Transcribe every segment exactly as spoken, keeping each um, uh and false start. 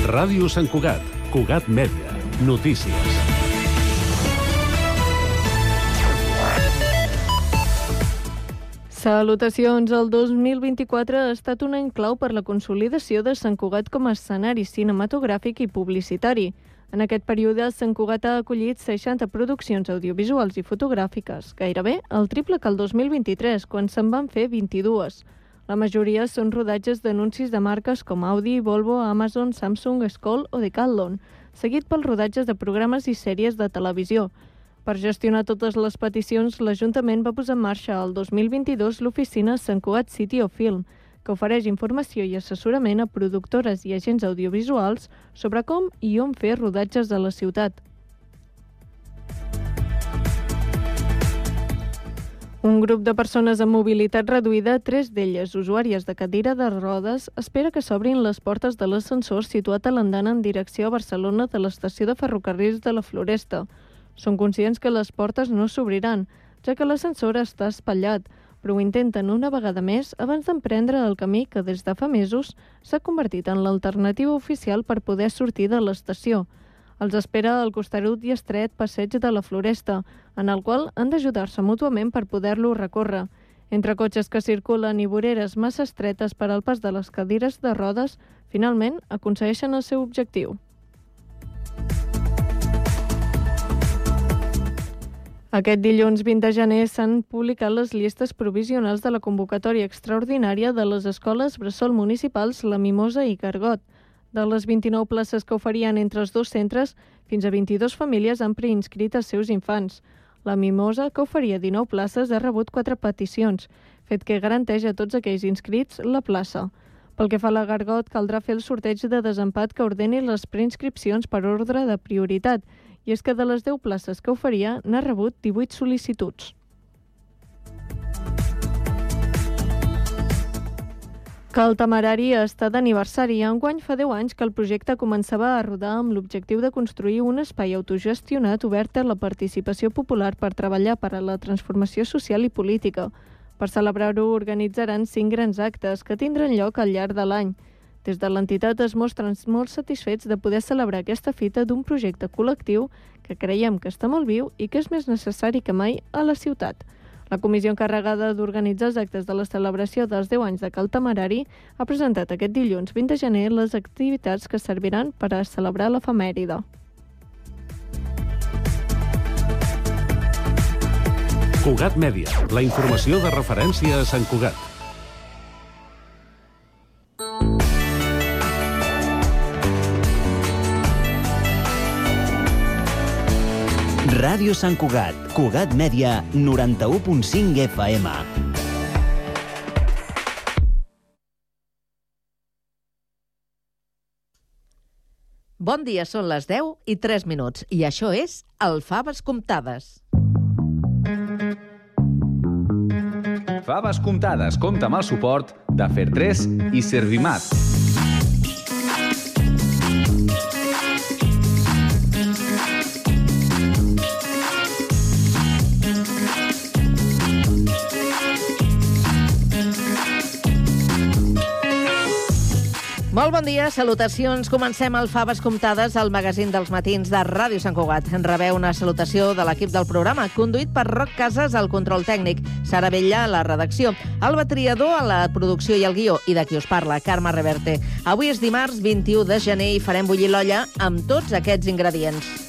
Ràdio Sant Cugat, Cugat Mèdia, notícies. Salutacions. El dos mil vint-i-quatre ha estat un any clau per la consolidació de Sant Cugat com a escenari cinematogràfic i publicitari. En aquest període, Sant Cugat ha acollit seixanta produccions audiovisuals i fotogràfiques, gairebé el triple que el dos mil vint-i-tres, quan se'n van fer vint-i-dues. La majoria són rodatges d'anuncis de marques com Audi, Volvo, Amazon, Samsung, Skoll o Decathlon, seguit pels rodatges de programes i sèries de televisió. Per gestionar totes les peticions, l'Ajuntament va posar en marxa el dos mil vint-i-dos l'oficina Sant Cugat City of Film, que ofereix informació i assessorament a productores i agents audiovisuals sobre com i on fer rodatges a la ciutat. Un grup de persones amb mobilitat reduïda, tres d'elles usuàries de cadira de rodes, espera que s'obrin les portes de l'ascensor situat a l'andana en direcció a Barcelona de l'estació de ferrocarrils de la Floresta. Són conscients que les portes no s'obriran, ja que l'ascensor està espatllat, però ho intenten una vegada més abans d'emprendre el camí que des de fa mesos s'ha convertit en l'alternativa oficial per poder sortir de l'estació. Els espera el costerut i estret passeig de la Floresta, en el qual han d'ajudar-se mútuament per poder-lo recórrer. Entre cotxes que circulen i voreres massa estretes per al pas de les cadires de rodes, finalment aconsegueixen el seu objectiu. Aquest dilluns vint de gener s'han publicat les llistes provisionals de la convocatòria extraordinària de les escoles bressol municipals La Mimosa i Gargot. De les vint-i-nou places que oferien entre els dos centres, fins a vint-i-dues famílies han preinscrit els seus infants. La Mimosa, que oferia dinou places, ha rebut quatre peticions, fet que garanteix a tots aquells inscrits la plaça. Pel que fa a la Gargot, caldrà fer el sorteig de desempat que ordeni les preinscripcions per ordre de prioritat, i és que de les deu places que oferia n'ha rebut divuit sol·licituds. Que el Temerari està d'aniversari. Enguany fa deu anys que el projecte començava a rodar amb l'objectiu de construir un espai autogestionat obert a la participació popular per treballar per a la transformació social i política. Per celebrar-ho organitzaran cinc grans actes que tindran lloc al llarg de l'any. Des de l'entitat es mostren molt satisfets de poder celebrar aquesta fita d'un projecte col·lectiu que creiem que està molt viu i que és més necessari que mai a la ciutat. La comissió encarregada d'organitzar els actes de la celebració dels deu anys de Cal Temerari ha presentat aquest dilluns vint de gener les activitats que serviran per a celebrar l'efemèride. Cugat Mèdia, la informació de referència a Sant Cugat. Ràdio Sant Cugat, Cugat Mèdia, noranta-u punt cinc F M. Bon dia, són les deu i tres minuts, i això és el Faves Comptades. Faves Comptades compta amb el suport de Fer tres i Servimat. Molt bon dia, salutacions. Comencem el Faves Comptades, el magazín dels matins de Ràdio Sant Cugat. En rebeu una salutació de l'equip del programa, conduït per Roc Casas al control tècnic, Sara Bella a la redacció, Alba Triador a la producció i el guió, i de qui us parla, Carme Reverte. Avui és dimarts vint-i-u de gener i farem bullir l'olla amb tots aquests ingredients.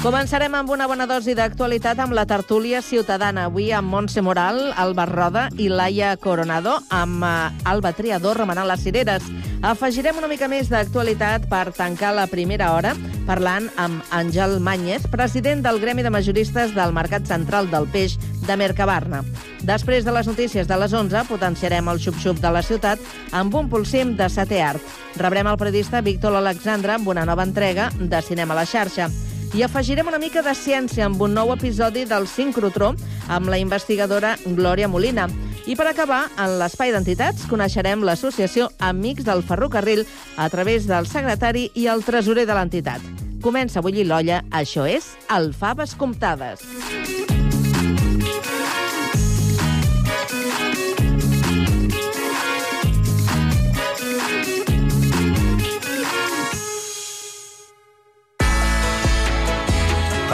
Començarem amb una bona dosi d'actualitat amb la tertúlia ciutadana. Avui amb Montse Moral, Alba Roda i Laia Coronado, amb Alba Triador remenant les cireres. Afegirem una mica més d'actualitat per tancar la primera hora parlant amb Àngel Màñez, president del Gremi de Majoristes del Mercat Central del Peix de Mercabarna. Després de les notícies de les onze, potenciarem el xup-xup de la ciutat amb un pulsim de setè art. Rebrem el periodista Víctor Alexandre amb una nova entrega de Cinema a la xarxa. I afegirem una mica de ciència amb un nou episodi del Sincrotró amb la investigadora Glòria Molina. I per acabar, en l'espai d'entitats, coneixerem l'associació Amics del Ferrocarril a través del secretari i el tresorer de l'entitat. Comença a bullir l'olla, això és el Faves Comptades.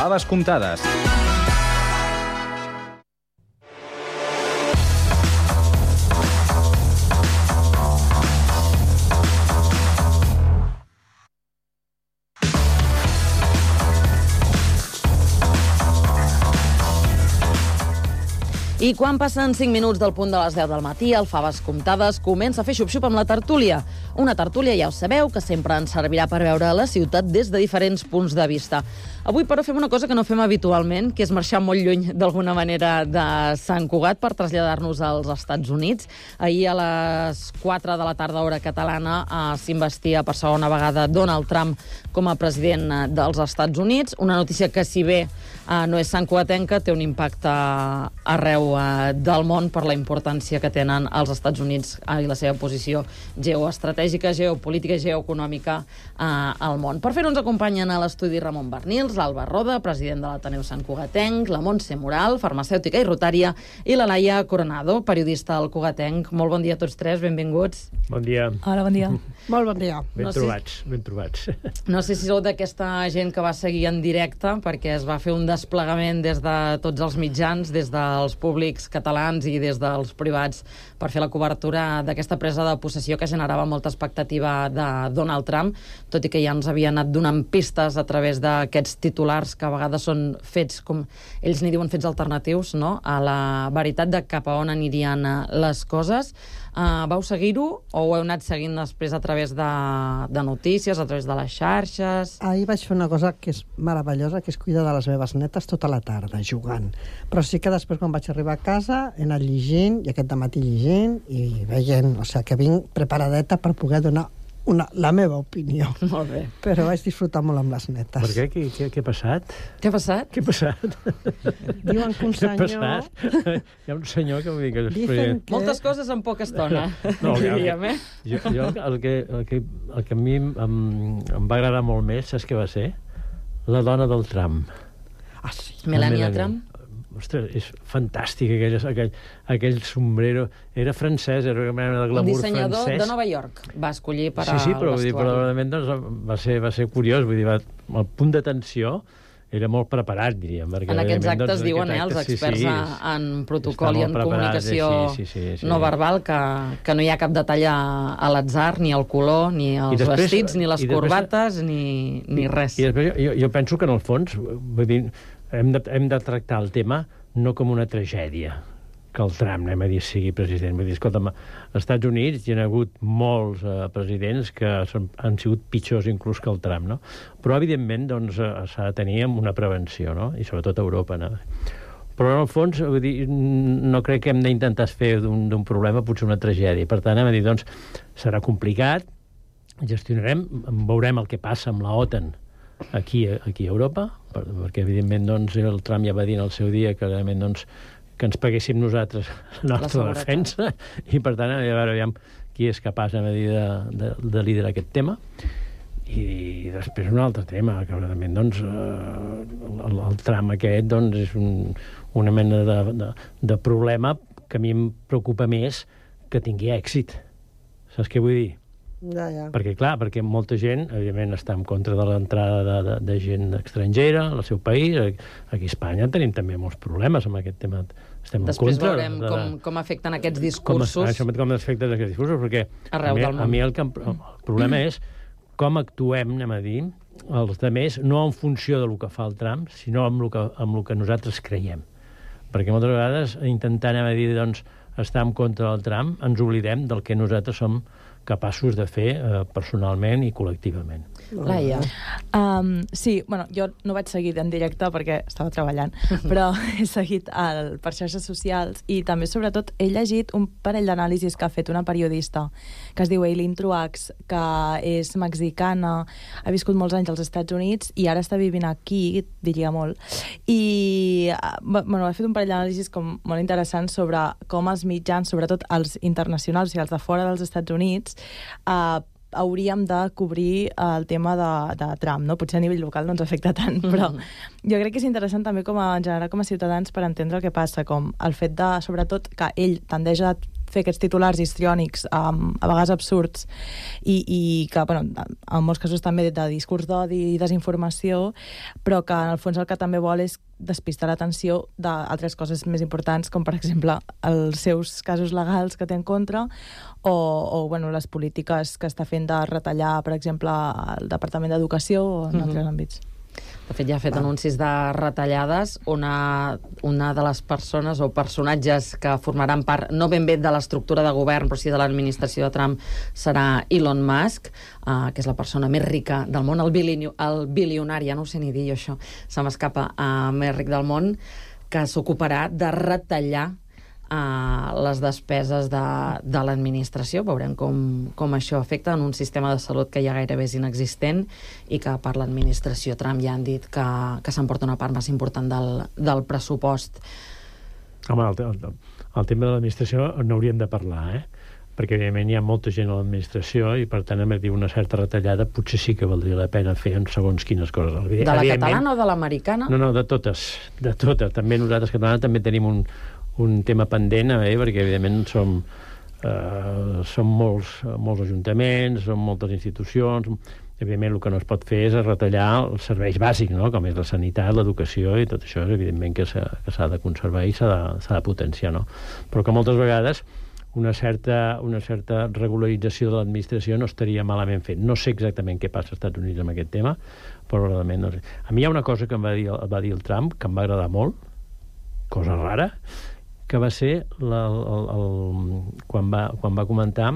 Faves comptades. I quan passen cinc minuts del punt de les deu del matí, el Faves comptades comença a fer xup-xup amb la tertúlia. Una tertúlia, ja ho sabeu, que sempre ens servirà per veure la ciutat des de diferents punts de vista. Avui, però, fem una cosa que no fem habitualment, que és marxar molt lluny, d'alguna manera, de Sant Cugat per traslladar-nos als Estats Units. Ahir, a les quatre de la tarda, hora catalana, eh, s'investia per segona vegada Donald Trump com a president dels Estats Units. Una notícia que, si bé eh, no és santcugatenca, té un impacte arreu eh, del món per la importància que tenen els Estats Units eh, i la seva posició geoestratègica, geopolítica i geoeconòmica eh, al món. Per fer-ho ens acompanyen a l'estudi Ramon Bernils, l'Alba Roda, president de l'Ateneu Santcugatenc, la Montse Moral, farmacèutica i rotària, i la Laia Coronado, periodista al Cugatenc. Molt bon dia a tots tres, benvinguts. Bon dia. Hola, bon dia. Molt bon dia. Ben No sé- trobats, ben trobats. No sé si sou d'aquesta gent que va seguir en directe, perquè es va fer un desplegament des de tots els mitjans, des dels públics catalans i des dels privats, per fer la cobertura d'aquesta presa de possessió que generava molta expectativa de Donald Trump, tot i que ja ens havia anat donant pistes a través d'aquests titulars que a vegades són fets, com ells n'hi diuen, fets alternatius, no?, a la veritat de cap a on anirien eh, les coses. Uh, vau seguir-ho o ho heu anat seguint després a través de, de notícies, a través de les xarxes? Ahir vaig fer una cosa que és meravellosa, que és cuidar de les meves netes tota la tarda, jugant. Però sí que després, quan vaig arribar a casa, he anat llegint, i aquest dematí llegint, i veient, o sigui, que vinc preparadeta per poder donar una, la meva opinió. Molt bé. Però vaig disfrutar molt amb les netes. Per què? Què, què, què ha passat? Què ha passat? Què ha passat? Diuen que un Què ha senyor... passat? Hi ha un senyor que vull dir que... Dicen que... Moltes coses en poca estona, No, diríem, eh? Jo, jo el, que, el, que, el que a mi em, em va agradar molt més, saps què va ser? La dona del Trump. Ah, sí. Melania La Trump? Ostres, és fantàstic aquell, aquell, aquell sombrero. Era francès, era una mena de Un glamour dissenyador francès. de Nova York va escollir per Sí, sí, però, al vull dir, però vestuari. realment doncs, va, ser, va ser curiós. Vull dir, va, el punt d'atenció era molt preparat, diríem. Perquè, En aquests evidentment, actes doncs, en diuen, eh, aquest els acte, experts sí, sí, a- en protocol i està en molt preparat, comunicació sí, sí, sí, sí. no verbal, que, que no hi ha cap detall a, a l'atzar, ni el color, ni els després- vestits, ni les i després- corbates, ni, ni res. I després jo, jo penso que, en el fons, vull dir, hem de, hem de tractar el tema no com una tragèdia, que el Trump, anem a dir, sigui president. Vull dir, escolta'm, als Estats Units hi ha hagut molts eh, presidents que són, han sigut pitjors inclús que el Trump, no? Però, evidentment, doncs, eh, s'ha de tenir una prevenció, no? I sobretot a Europa, no? Però, en el fons, vull dir, no crec que hem d'intentar fer d'un d'un problema potser una tragèdia. Per tant, anem a dir, doncs, serà complicat, gestionarem, veurem el que passa amb la OTAN aquí, aquí a Europa, per, perquè, evidentment, doncs, el Trump ja va dir en el seu dia que, realment, doncs, que ens paguéssim nosaltres la nostra seguretat. defensa, i, per tant, a veure, aviam qui és capaç, a dir, de, de, de liderar aquest tema. I, i després un altre tema, que realment, doncs, eh, el, el tram aquest, doncs, és un, una mena de, de, de problema que a mi em preocupa més que tingui èxit. Saps què vull dir? Ja, ja. Perquè, clar, perquè molta gent, evidentment, està en contra de l'entrada de, de, de gent estrangera al seu país. Aquí a Espanya tenim també molts problemes amb aquest tema. Estem Després en contra. veurem de, com, com afecten aquests com, discursos. això, com afecten aquests discursos, perquè Arreu a mi, del món. a mi el, que, em- el problema és com actuem, anem a dir, els altres, no en funció del que fa el Trump, sinó amb el que, amb el que nosaltres creiem. Perquè moltes vegades, intentant, anem a dir, doncs, estar en contra del Trump, ens oblidem del que nosaltres som capaços de fer eh, personalment i col·lectivament. Laia. Um, sí, bueno, jo no vaig seguir en directe perquè estava treballant, però he seguit el, per xarxes socials i també, sobretot, he llegit un parell d'anàlisis que ha fet una periodista que es diu Eileen Truax, que és mexicana, ha viscut molts anys als Estats Units i ara està vivint aquí, diria molt, i bueno, ha fet un parell d'anàlisis com molt interessants sobre com els mitjans, sobretot els internacionals i els de fora dels Estats Units, eh, hauríem de cobrir el tema de, de Trump, no? Potser a nivell local no ens afecta tant, però jo crec que és interessant també com a, en general com a ciutadans per entendre el que passa, com el fet de, sobretot, que ell tendeix a fer aquests titulars histriònics, um, a vegades absurds, i, i que, bueno, en molts casos també de discurs d'odi i desinformació, però que en el fons el que també vol és despistar l'atenció d'altres coses més importants, com per exemple els seus casos legals que té en contra, o, o bueno, les polítiques que està fent de retallar, per exemple, el Departament d'Educació o en mm-hmm. altres àmbits. De fet, ja ha fet Va. anuncis de retallades. Una, una de les persones o personatges que formaran part, no ben bé de l'estructura de govern, però sí de l'administració de Trump, serà Elon Musk, uh, que és la persona més rica del món, el, bilini, el bilionari, ja no ho sé ni dir jo, això, se m'escapa, uh, més ric del món, que s'ocuparà de retallar a les despeses de, de l'administració. Veurem com, com això afecta en un sistema de salut que ja gairebé és inexistent i que per l'administració Trump ja han dit que, que s'emporta una part més important del, del pressupost. Home, el, el, el tema de l'administració n'hauríem de parlar, eh? Perquè evidentment hi ha molta gent a l'administració i per tant, a dir una certa retallada, potser sí que valdria la pena fer en segons quines coses. De la catalana o de l'americana? No, no, de totes, de totes. També nosaltres catalans també tenim un un tema pendent, eh, perquè evidentment som, eh, som molts, molts ajuntaments, som moltes institucions, evidentment el que no es pot fer és retallar els serveis bàsics, no? Com és la sanitat, l'educació i tot això, evidentment que s'ha de conservar i s'ha de, s'ha de potenciar, no? Però que moltes vegades una certa, una certa regularització de l'administració no estaria malament fet. No sé exactament què passa als Estats Units amb aquest tema, però realment no sé. A mi hi ha una cosa que em va dir, va dir el Trump, que em va agradar molt, cosa rara, que va ser la, el, el, quan, va, quan va comentar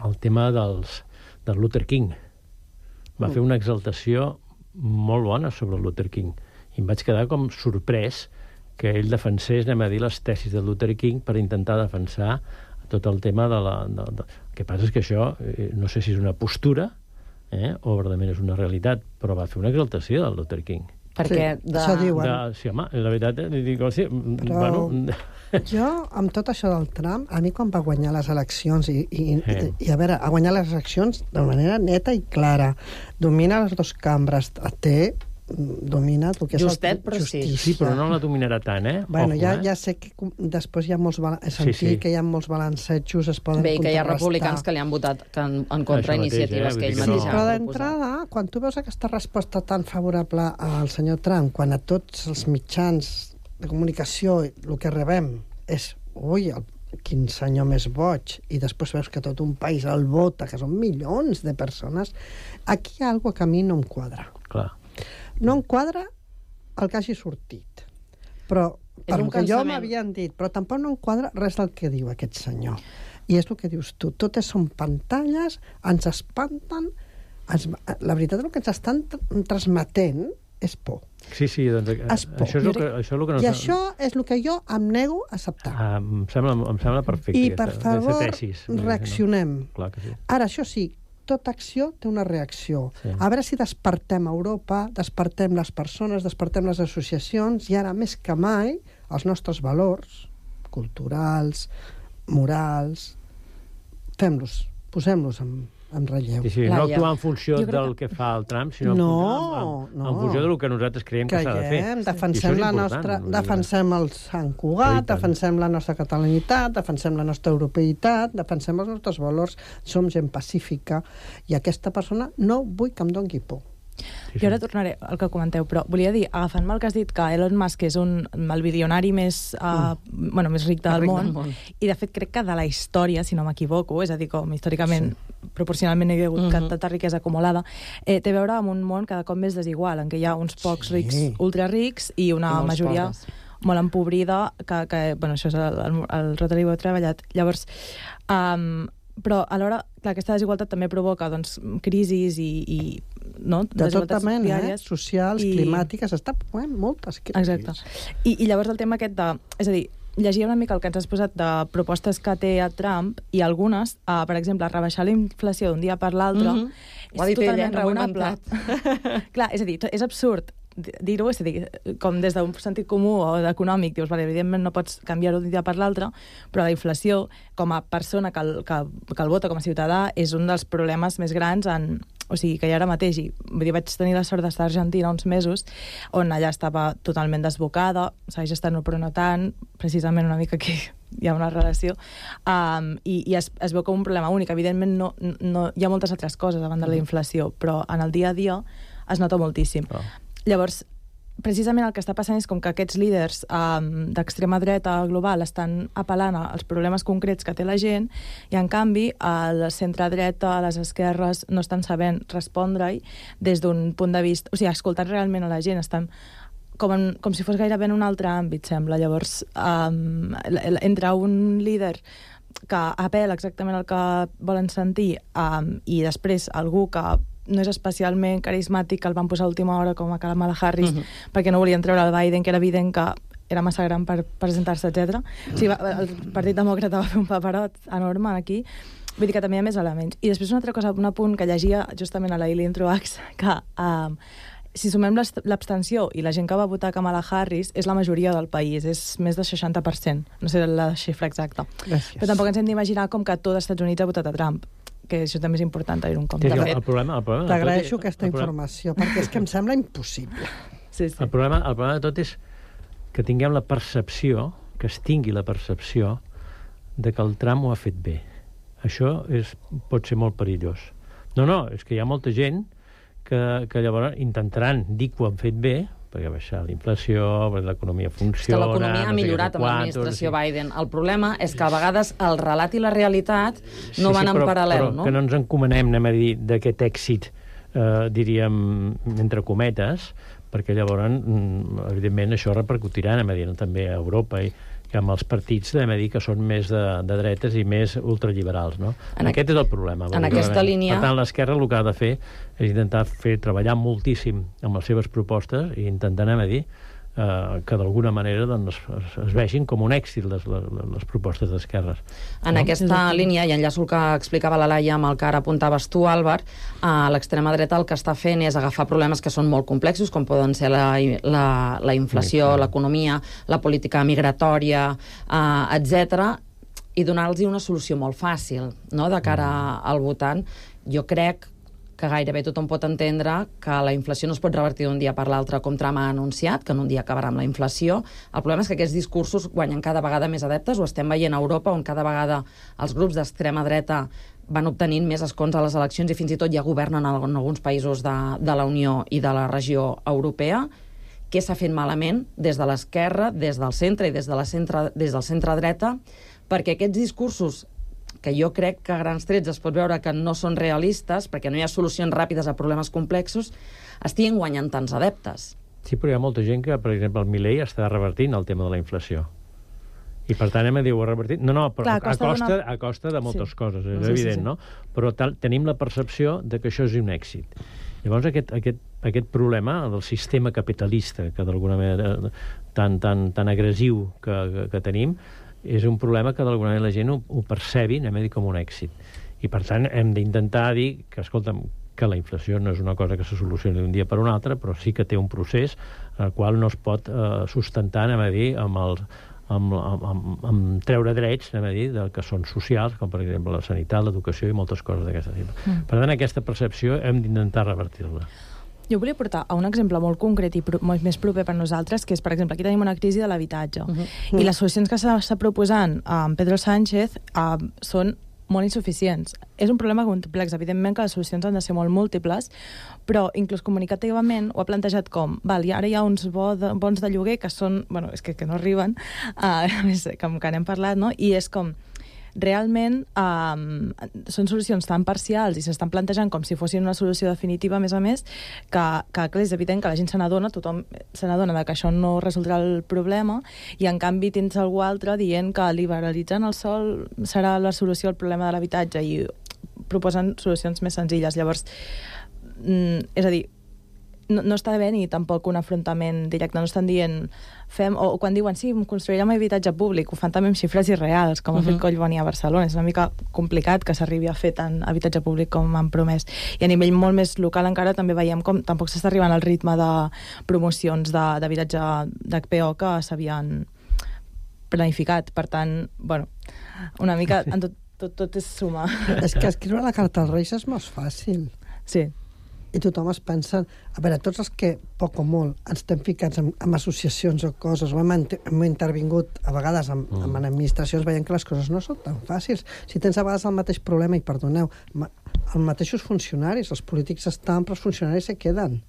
el tema dels, del Luther King. Va mm. fer una exaltació molt bona sobre el Luther King. I em vaig quedar com sorprès que ell defensés, anem a dir, les tesis de Luther King per intentar defensar tot el tema de la... De, de... El que passa és que això, no sé si és una postura, eh, o verdaderament és una realitat, però va fer una exaltació del Luther King. Perquè sí, de... això diuen. De, sí, home, la veritat, dic, sí, però bueno... jo, amb tot això del Trump, a mi quan va guanyar les eleccions, i, i, eh. i a veure, ha guanyat les eleccions de manera neta i clara, domina les dues cambres, té, domina el que és Justet, el, però justícia. sí. Sí, però no la dominarà tant, eh? Bueno, Ojo, ja, eh? ja sé que després hi ha molts... He sentit sí, sí. que hi ha molts balancejos, es poden Bé, que hi ha contrarrestar. republicans que li han votat que en, en contra Això mateix, iniciatives eh? que ell Vull dir que mateix no. ha Però proposat. d'entrada, quan tu veus aquesta resposta tan favorable al senyor Trump, quan a tots els mitjans de comunicació el que rebem és ui, el, quin senyor més boig, i després veus que tot un país el vota, que són milions de persones, aquí hi ha alguna que a mi no em quadra. Clar. No em quadra el que hagi sortit. Però, per un el que jo cansament. m'havien dit, però tampoc no em quadra res del que diu aquest senyor. I és el que dius tu, totes són pantalles, ens espanten, ens, la veritat el que ens estan transmetent és por. Sí, sí, doncs Es por. això és el que, això és el que no... I això és el que jo em nego a acceptar. Ah, em, sembla, em sembla perfecte. I, aquesta, per favor, tesis. reaccionem. No? Clar que sí. Ara, això sí, tota acció té una reacció. Sí. A veure si despertem Europa, despertem les persones, despertem les associacions, i ara, més que mai, els nostres valors culturals, morals, fem-los, posem-los en, en relleu. Sí, sí, no Laia. actuar en funció Jo crec del que fa el Trump, sinó No, en, en, no. en funció del que nosaltres creiem que s'ha de fer. Creiem, I defensem això és la important, nostra, vull dir que- defensem el Sant I Cugat, tant. defensem la nostra catalanitat, defensem la nostra europeïtat, defensem els nostres valors, som gent pacífica, i aquesta persona no vull que em doni por. Sí, Jo ara tornaré al que comenteu, però volia dir, agafant-me el que has dit, que Elon Musk és un, el bilionari més, uh, mm. bueno, més ric del, ric món, del món, i de fet crec que de la història, si no m'equivoco, és a dir, com històricament, sí. proporcionalment hi ha hagut Mhm. tanta riquesa acumulada, eh, té a veure amb un món cada cop més desigual, en què hi ha uns pocs Sí. rics, ultrarics, i una I molts majoria pobres. molt empobrida, que, que bueno, això és el, el, el Rotary ho he treballat. Llavors, um, però alhora, clar, aquesta desigualtat també provoca doncs, crisis i, i no? De tota desigualtats mena, eh? diàries. Socials, I- climàtiques, està provant moltes crisis. Exacte. I, I llavors el tema aquest de... És a dir, llegia una mica el que ens has posat de propostes que té a Trump, i algunes, uh, per exemple, rebaixar la inflació d'un dia per l'altre, Mhm. és Ho ha dit ell, totalment eh? No ho he raonable. Clar, és a dir, és absurd dir-ho, és a dir, com des d'un sentit comú o d'econòmic, dius, vale, evidentment no pots canviar-ho d'un dia per l'altre, però la inflació, com a persona que el, que, que el vota, com a ciutadà, és un dels problemes més grans en, o sigui, que hi ha ara mateix. I, vull dir, vaig tenir la sort d'estar a Argentina uns mesos, on allà estava totalment desbocada, segueix estant, però no tant, precisament una mica aquí hi ha una relació, um, i, i es, es veu com un problema únic. Evidentment no, no, hi ha moltes altres coses davant de la inflació, però en el dia a dia es nota moltíssim. Oh. Llavors, precisament el que està passant és com que aquests líders um, d'extrema dreta global estan apel·lant als problemes concrets que té la gent, i en canvi el centre-dreta, les esquerres, no estan sabent respondre-hi des d'un punt de vista... O sigui, escoltant realment a la gent, estan com, en, com si fos gairebé en un altre àmbit, sembla. Llavors, um, entre un líder que apel·la exactament el que volen sentir um, i després algú que no és especialment carismàtic, que el van posar a última hora com a Kamala Harris, uh-huh. perquè no volien treure el Biden, que era evident que era massa gran per presentar-se, etcètera. O sigui, el Partit Demòcrata va fer un paperot enorme aquí. Vull dir que també hi ha més elements. I després una altra cosa, un apunt que llegia justament a la Eileen Truax, que um, si sumem l'abstenció i la gent que va votar Kamala Harris, és la majoria del país, és més del seixanta per cent. No sé la xifra exacta. Gràcies. Però tampoc ens hem d'imaginar com que tot els Estats Units ha votat a Trump, que això també és important tenir un compte. El problema, el problema T'agraeixo aquesta informació, perquè és que em sembla impossible. Sí, sí. El problema, el problema de tot és que tinguem la percepció, que es tingui la percepció de que el Trump ho ha fet bé. Això és, pot ser molt perillós. No, no, és que hi ha molta gent que, que llavors intentaran dir que ho han fet bé, perquè ha baixat la inflació, perquè l'economia funciona... És que l'economia ha millorat amb l'administració Biden. El problema és que a vegades el relat i la realitat no van en paral·lel, no? Però que no ens encomanem, anem a dir, d'aquest èxit, eh, diríem, entre cometes, perquè llavors, evidentment, això repercutirà, anem a dir, també a Europa i que amb els partits, anem a dir, que són més de, de dretes i més ultraliberals, no? En Aquest és el problema. En aquesta línia... Per tant, l'esquerra el que ha de fer és intentar fer treballar moltíssim amb les seves propostes i intentar, anem a dir, eh, que d'alguna manera doncs, es, es vegin com un èxit les, les, les propostes d'esquerres. En no? aquesta línia, i enllaço el que explicava la Laia amb el que ara apuntaves tu, Àlvar, a l'extrema dreta el que està fent és agafar problemes que són molt complexos, com poden ser la, la, la inflació, sí, l'economia, la política migratòria, eh, etcètera, i donar-los una solució molt fàcil, no?, de cara al votant. Jo crec que gairebé tothom pot entendre que la inflació no es pot revertir d'un dia per l'altre, com Trump ha anunciat, que en un dia acabarà amb la inflació. El problema és que aquests discursos guanyen cada vegada més adeptes, ho estem veient a Europa, on cada vegada els grups d'extrema dreta van obtenint més escons a les eleccions i fins i tot ja governen en alguns països de, de la Unió i de la regió europea. Què s'ha fet malament des de l'esquerra, des del centre i des, de la centre, des del centre-dreta, perquè aquests discursos, que jo crec que a grans trets es pot veure que no són realistes, perquè no hi ha solucions ràpides a problemes complexos, estiguin guanyant tants adeptes. Sí, però hi ha molta gent que, per exemple, el Milei està revertint el tema de la inflació. I per tant, hem de dir, ho ha revertit... No, no, però Clar, a, costa a, costa, una... a costa de moltes sí. coses, és sí, evident, sí, sí. no? Però tal, tenim la percepció de que això és un èxit. Llavors, aquest, aquest, aquest problema del sistema capitalista, que d'alguna manera tan, tan, tan agressiu que, que, que tenim, és un problema que d'alguna manera la gent ho, ho percebi, anem a dir, com un èxit. I per tant hem d'intentar dir que, escolta'm, que la inflació no és una cosa que se solucioni d'un dia per un altre, però sí que té un procés en el qual no es pot eh, sustentar, anem a dir, amb, el, amb, amb, amb, amb treure drets, anem a dir, del que són socials, com per exemple la sanitat, l'educació i moltes coses d'aquesta tipus. Mm. Per tant, aquesta percepció hem d'intentar revertir-la. Jo volia portar a un exemple molt concret i pro molt més proper per nosaltres, que és, per exemple, aquí tenim una crisi de l'habitatge. Uh -huh. I les solucions que s'està proposant amb Pedro Sánchez uh, són molt insuficients. És un problema complex, evidentment que les solucions han de ser molt múltiples, però inclús comunicativament ho ha plantejat com, val, i ara hi ha uns bo de, bons de lloguer que són, bueno, és que, que no arriben, uh, com que n'hem parlat, no? I és com, realment um, són solucions tan parcials i s'estan plantejant com si fossin una solució definitiva, a més a més, que, que clar, és evident que la gent se n'adona, tothom se n'adona que això no resoldrà el problema, i en canvi tens algú altre dient que liberalitzant el sòl serà la solució al problema de l'habitatge i proposen solucions més senzilles. Llavors, mm, és a dir, no, no està bé ni tampoc un afrontament directe, no estan dient fem, o quan diuen, sí, construirem habitatge públic, ho fan també amb xifres irreals, com uh -huh. ha fet Collboni a Barcelona. És una mica complicat que s'arribi a fer tant habitatge públic com han promès. I a nivell molt més local encara també veiem com tampoc s'està arribant al ritme de promocions d'habitatge d'H P O que s'havien planificat. Per tant, bueno, una mica en tot, tot, tot és suma. És que escriure la carta als Reis és molt fàcil. Sí. i tothom es pensa... A veure, tots els que, poc o molt, ens estem ficats en, en associacions o coses, o hem, hem intervingut a vegades en, mm. en administracions, veiem que les coses no són tan fàcils. Si tens a vegades el mateix problema, i perdoneu, els mateixos funcionaris, els polítics estan, però els funcionaris se queden.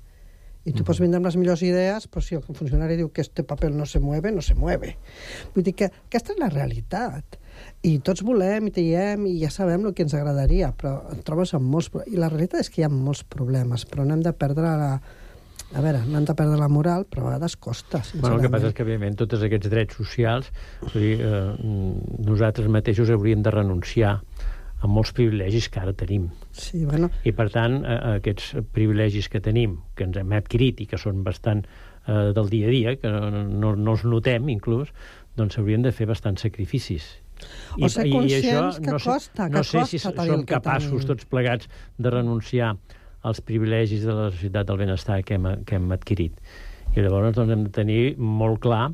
I tu mm. pots vindre amb les millors idees, però si el funcionari diu que este paper no se mueve, no se mueve. Vull dir que aquesta és la realitat. I tots volem i diem i ja sabem el que ens agradaria, però et trobes amb molts... I la realitat és que hi ha molts problemes, però no hem de perdre la... A veure, no hem de perdre la moral, però a vegades costa, sincerament. Bueno, el que passa és que, evidentment, tots aquests drets socials, vull dir, eh, nosaltres mateixos hauríem de renunciar a molts privilegis que ara tenim. Sí, bueno... I, per tant, eh, aquests privilegis que tenim, que ens hem adquirit i que són bastant eh, del dia a dia, que no, no, no els notem, inclús, doncs s'haurien de fer bastants sacrificis. O ser conscients que no sé, costa, que no sé costa si tenir som el que capaços tenim. tots plegats de renunciar als privilegis de la societat del benestar que hem, que hem adquirit. I llavors doncs, hem de tenir molt clar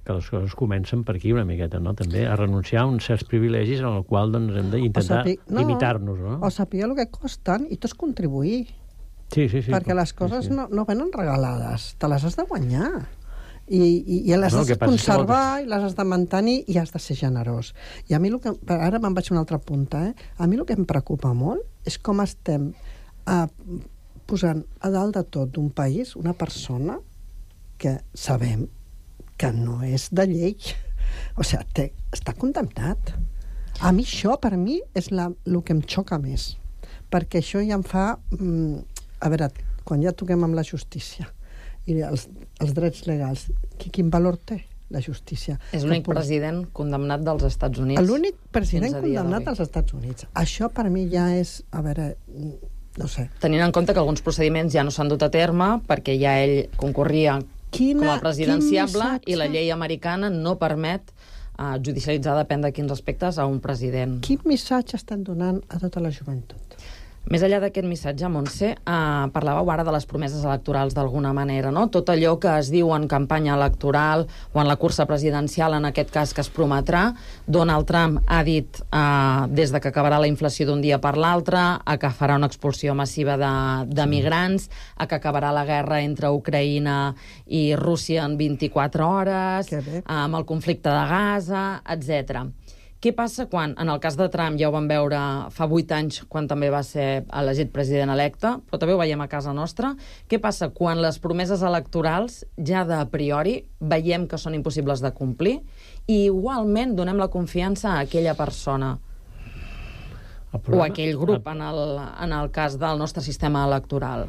que les coses comencen per aquí una miqueta, no? També a renunciar a uns certs privilegis en el qual doncs, hem d'intentar no, limitar-nos. No? O saber el que costen i tots contribuir. Sí, sí, sí. Perquè les coses sí, sí. No, no venen regalades, te les has de guanyar. I, i, i les no, has de conservar, i les has de mantenir, i has de ser generós. I a mi, el que, ara me'n vaig a una altra punta, eh? A mi el que em preocupa molt és com estem eh, posant a dalt de tot d'un país una persona que sabem que no és de llei. O sigui, té, està condemnat. A mi això, per mi, és la, el que em xoca més. Perquè això ja em fa... Mm, a veure, quan ja toquem amb la justícia i els, els drets legals, quin valor té la justícia? És l'únic pot... president condemnat dels Estats Units. L'únic president condemnat als Estats Units. Això per mi ja és, a veure, no sé. Tenint en compte que alguns procediments ja no s'han dut a terme perquè ja ell concorria quina, com a presidenciable i la llei americana no permet uh, judicialitzar, depèn de quins aspectes, a un president. Quin missatge estan donant a tota la joventut? Més enllà d'aquest missatge, Montse, eh, parlàveu ara de les promeses electorals d'alguna manera, no? Tot allò que es diu en campanya electoral o en la cursa presidencial, en aquest cas que es prometrà. Donald Trump ha dit eh, des de que acabarà la inflació d'un dia per l'altre, a que farà una expulsió massiva de, de migrants, a que acabarà la guerra entre Ucraïna i Rússia en vint-i-quatre hores, amb el conflicte de Gaza, etcètera. Què passa quan, en el cas de Trump, ja ho vam veure fa vuit anys, quan també va ser elegit president electe, però també ho veiem a casa nostra, què passa quan les promeses electorals ja de priori veiem que són impossibles de complir i igualment donem la confiança a aquella persona problema, o a aquell grup el, en, el, en el cas del nostre sistema electoral?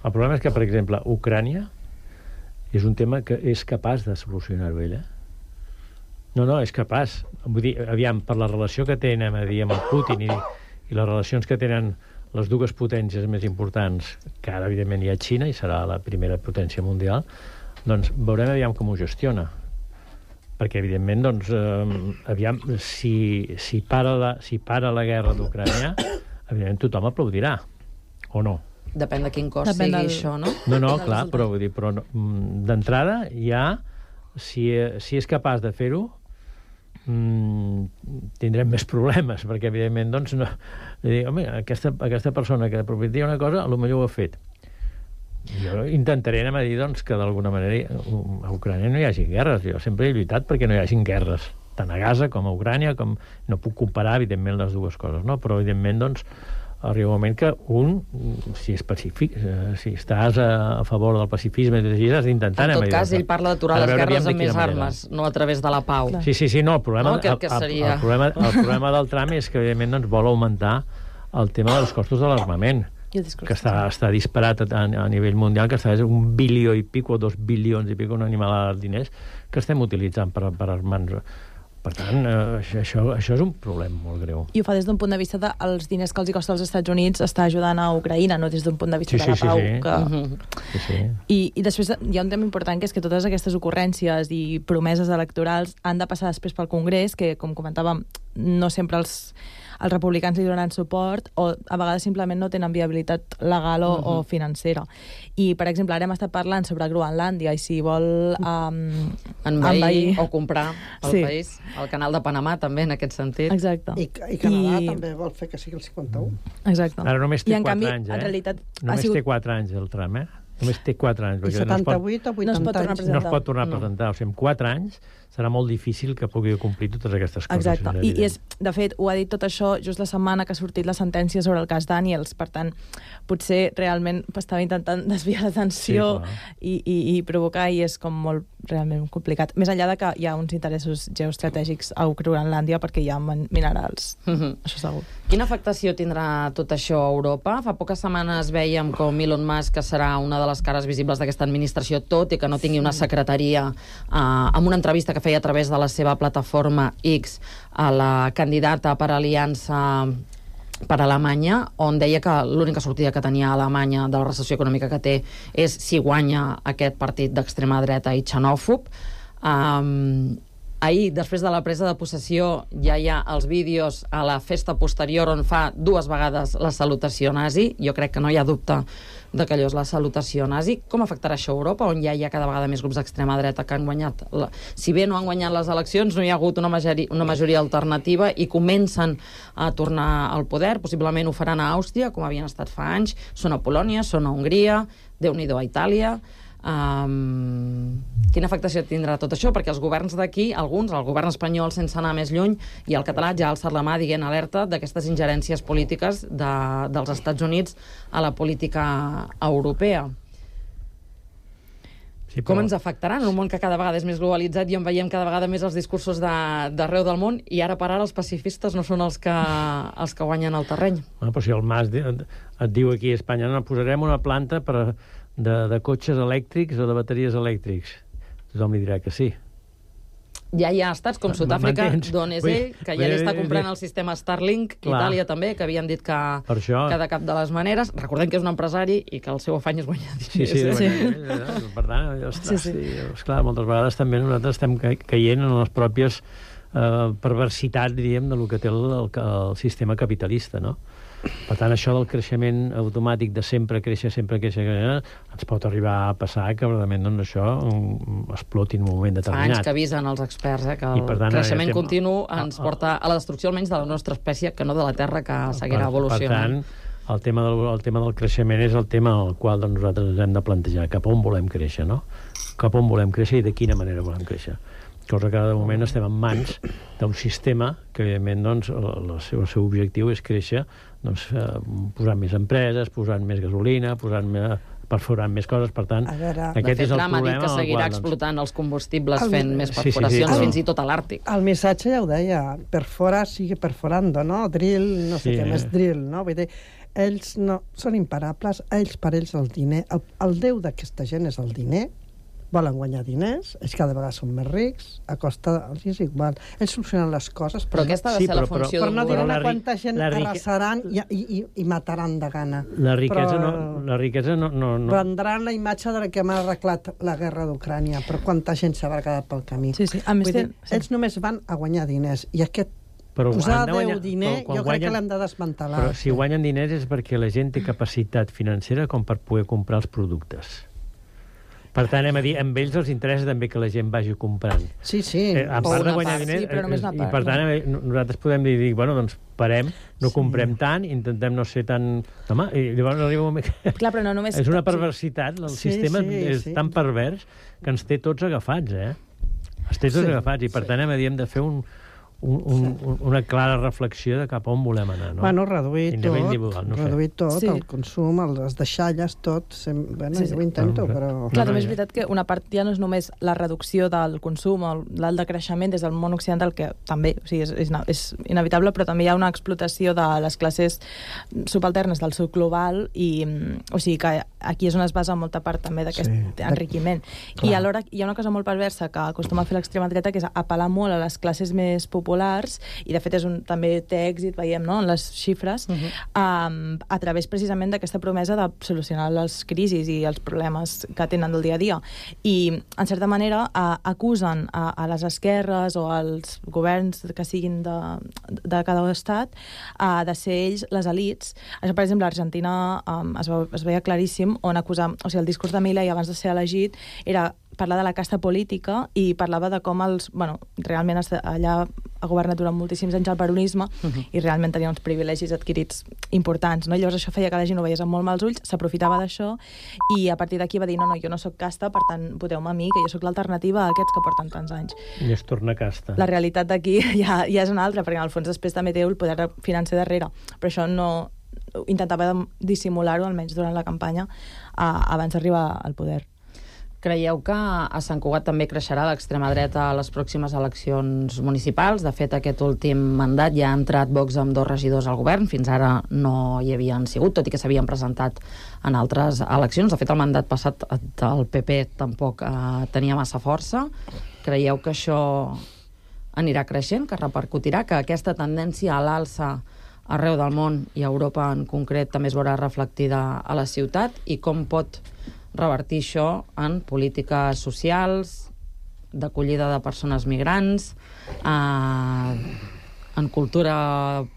El problema és que, per exemple, Ucrània és un tema que és capaç de solucionar-ho ella. No, no, és capaç. Vull dir, aviam, per la relació que tenen a dir, amb el Putin i, i les relacions que tenen les dues potències més importants, que ara, evidentment, hi ha Xina i serà la primera potència mundial, doncs veurem aviam com ho gestiona. Perquè, evidentment, doncs, eh, aviam, si, si, para la, si para la guerra d'Ucrània, evidentment tothom aplaudirà, o no? Depèn de quin cost Depèn sigui del... això, no? No, no, clar, però, vull dir, però no, d'entrada ja, si, si és capaç de fer-ho, Mm, tindrem més problemes, perquè evidentment doncs, no, dir, home, aquesta, aquesta persona que prometia una cosa, potser ho ha fet. Jo intentaré anar a dir doncs, que d'alguna manera a Ucrània no hi hagi guerres. Jo sempre he lluitat perquè no hi hagin guerres, tant a Gaza com a Ucrània, com no puc comparar evidentment les dues coses, no? Però evidentment doncs arriba un moment que un, si és pacífic, si estàs a favor del pacifisme, has d'intentar... En tot cas, ell parla d'aturar les guerres amb més armes, no a través de la pau. Sí, sí, sí, no, el problema, no, que, que seria... el, el, problema, el problema del Trump és que, evidentment, doncs, vol augmentar el tema dels costos de l'armament, que està, està disparat a, a nivell mundial, que està un bilió i pico, o dos bilions i pico, una animalada de diners, que estem utilitzant per, per armar-nos. Per tant, eh, això, això és un problema molt greu. I ho fa des d'un punt de vista dels de diners que els hi costa als Estats Units està ajudant a Ucraïna, no des d'un punt de vista sí, de la sí, pau. Sí, sí. Que... Uh-huh. sí, sí. I, I després hi ha un tema important, que és que totes aquestes ocurrències i promeses electorals han de passar després pel Congrés, que, com comentàvem, no sempre els, els republicans li donaran suport o a vegades simplement no tenen viabilitat legal o, uh-huh. o financera. I, per exemple, ara hem estat parlant sobre Groenlàndia i si vol um, envair, envair o comprar el sí. país. El canal de Panamà també, en aquest sentit. Exacte. I, i Canadà I... també vol fer que sigui el cinquanta-u. Exacte. Ara només té I, en quatre canvi, anys, eh? en realitat, només sigut... té quatre anys el tram, eh? Només té quatre anys. I setanta-vuit o vuitanta anys. No es pot tornar a presentar. O sigui, en quatre anys serà molt difícil que pugui complir totes aquestes coses. Exacte. I, i és, de fet, ho ha dit tot això just la setmana que ha sortit la sentència sobre el cas Daniels. Per tant, potser realment estava intentant desviar l'atenció sí, i, i, i provocar, i és com molt realment complicat. Més enllà de que hi ha uns interessos geoestratègics a Groenlàndia perquè hi ha minerals. Mm-hmm. Això segur. Quina afectació tindrà tot això a Europa? Fa poques setmanes veiem com Elon Musk, que serà una de les cares visibles d'aquesta administració, tot i que no tingui una secretaria, eh, amb una entrevista que feia a través de la seva plataforma X a la candidata per Aliança per Alemanya, on deia que l'única sortida que tenia Alemanya de la recessió econòmica que té és si guanya aquest partit d'extrema dreta i xenòfob. Um, ahir, després de la presa de possessió, ja hi ha els vídeos a la festa posterior on fa dues vegades la salutació nazi. Jo crec que no hi ha dubte de que allò és la salutació nazi. Com afectarà això a Europa, on ja hi ha cada vegada més grups d'extrema dreta que han guanyat? La... Si bé no han guanyat les eleccions, no hi ha hagut una majoria, una majoria alternativa i comencen a tornar al poder. Possiblement ho faran a Àustria, com havien estat fa anys. Són a Polònia, són a Hongria, Déu-n'hi-do a Itàlia. Um, quina afectació tindrà tot això? Perquè els governs d'aquí, alguns, el govern espanyol sense anar més lluny, i el català ja ha alçat la mà dient alerta d'aquestes ingerències polítiques de, dels Estats Units a la política europea. Sí, però... Com ens afectaran en un món que cada vegada és més globalitzat i on veiem cada vegada més els discursos d'arreu de, del món, i ara per ara els pacifistes no són els que, els que guanyen el terreny? Bueno, però si el Mas et diu aquí a Espanya no, posarem una planta per... De, de cotxes elèctrics o de bateries elèctrics. Tothom li dirà que sí. Ja hi ha estats com Sud-àfrica, d'on és ell, que ja li està comprant el sistema Starlink, clar. Itàlia també, que havien dit que, que de cap de les maneres. Recordem que és un empresari i que el seu afany és guanyar diners. Sí, sí, sí. Guanyar, per tant, ostres, sí, sí. Esclar, moltes vegades també nosaltres estem caient en les pròpies eh, perversitats, diríem, de lo que té el, el, el sistema capitalista, no? Per tant, això del creixement automàtic de sempre créixer, sempre créixer, ens pot arribar a passar que realment doncs, això exploti en un moment determinat. Fa anys que avisen els experts eh, que el tant, creixement estem... continu ens porta a la destrucció almenys de la nostra espècie, que no de la Terra, que seguirà evolucionant. Per tant, el tema, del, el tema del creixement és el tema al qual doncs, nosaltres ens hem de plantejar cap on volem créixer, no? Cap on volem créixer i de quina manera volem créixer. Cosa que de moment estem en mans d'un sistema que, evidentment, doncs, el, el, seu, el seu objectiu és créixer doncs, eh, posant més empreses, posant més gasolina, posant més, perforant més coses, per tant, veure, aquest és el problema. Ha dit que seguirà qual, explotant doncs... els combustibles el... fent més perforacions, sí, sí, sí, fins i tot a l'Àrtic. El missatge ja ho deia, perfora sigue perforando, no? Drill, no sé sí, què més, drill, no? Vull dir, ells no, són imparables, ells per ells el diner, el, el déu d'aquesta gent és el diner, volen guanyar diners, ells cada vegada són més rics, a costa, els és igual. Ells solucionen les coses, però, però aquesta ha de sí, ser però, la funció però, d'un però no diran la, quanta gent la rique... arrasaran i, i, i, i mataran de gana. La riquesa, però... no, la riquesa no, no, no... Vendran la imatge de que hem arreglat la guerra d'Ucrània, però quanta gent s'ha quedat pel camí. Sí, sí. A més, Vull dir, sí. ells només van a guanyar diners, i aquest però posar de guanyar, Déu diner, jo crec guanyen, que l'hem de desmantelar. Però si guanyen diners és perquè la gent té capacitat financera com per poder comprar els productes. Per tant, hem a dir, amb ells els interessa també que la gent vagi comprant. Sí, sí. Eh, a part de guanyar part, diners, sí, però només una part, i per tant, no. nosaltres podem dir, dir, bueno, doncs parem, no sí. comprem tant, intentem no ser tan... Home, i llavors arriba un moment que... Clar, però no només... És una perversitat, el sí, sistema sí, és sí. tan pervers que ens té tots agafats, eh? Ens té tots sí, agafats, i per sí. tant hem, hem de fer un... Un, un, un, una clara reflexió de cap on volem anar, no? Bueno, reduir tot, no reduir tot, sí. el consum, les deixalles, tot. Sem... Bueno, sí, sí. Jo ho intento, però... Clar, també és veritat que una part ja no és només la reducció del consum o l'alt decreixement des del món occidental, que també o sigui, és, és, és inevitable, però també hi ha una explotació de les classes subalternes del sud global i, o sigui, que aquí és on es basa molta part també d'aquest sí. enriquiment. Clar. I alhora hi ha una cosa molt perversa que acostuma a fer l'extrema dreta, que és apel·lar molt a les classes més populars populars, i de fet és un, també té èxit, veiem, no?, en les xifres, uh-huh. um, a través precisament d'aquesta promesa de solucionar les crisis i els problemes que tenen del dia a dia. I, en certa manera, uh, acusen a, a les esquerres o als governs que siguin de, de cada estat uh, de ser ells les elites. Això, per exemple, a Argentina um, es, ve, es veia claríssim on acusar... O sigui, el discurs de Milei abans de ser elegit era parlar de la casta política i parlava de com els... Bueno, realment allà ha governat durant moltíssims anys el peronisme uh-huh. i realment tenia uns privilegis adquirits importants, no? Llavors això feia que la gent ho veiés amb molt mals ulls, s'aprofitava d'això i a partir d'aquí va dir, no, no, jo no sóc casta, per tant, voteu-me a mi, que jo sóc l'alternativa a aquests que porten tants anys. I es torna casta. La realitat d'aquí ja, ja és una altra, perquè en el fons després també té el poder financer darrere, però això no... intentava dissimular-ho, almenys durant la campanya, uh, abans d'arribar al poder. Creieu que a Sant Cugat també creixerà l'extrema dreta a les pròximes eleccions municipals? De fet, aquest últim mandat ja ha entrat Vox amb dos regidors al govern. Fins ara no hi havien sigut, tot i que s'havien presentat en altres eleccions. De fet, el mandat passat del P P tampoc eh, tenia massa força. Creieu que això anirà creixent, que repercutirà, que aquesta tendència a l'alça arreu del món i a Europa en concret també es veurà reflectida a la ciutat, i com pot revertir això en polítiques socials, d'acollida de persones migrants, eh, en cultura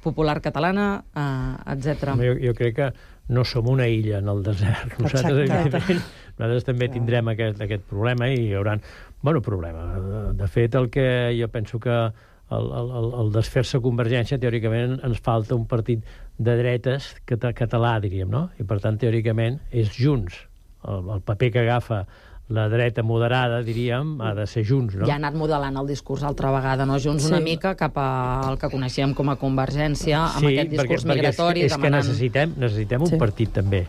popular catalana, eh, etcètera. Jo, jo crec que no som una illa en el desert. Nosaltres, evidentment, nosaltres també tindrem aquest, aquest problema i hi haurà... Bueno, problema. De fet, el que jo penso que el, el, el desfer-se Convergència, teòricament, ens falta un partit de dretes català, diríem, no? I, per tant, teòricament, és Junts. El, el paper que agafa la dreta moderada, diríem, ha de ser Junts, no? Ja ha anat modelant el discurs altra vegada, no? Junts sí. Una mica cap al que coneixíem com a Convergència, amb sí, aquest discurs perquè, migratori. És, és demanant... que necessitem, necessitem un sí. partit, també.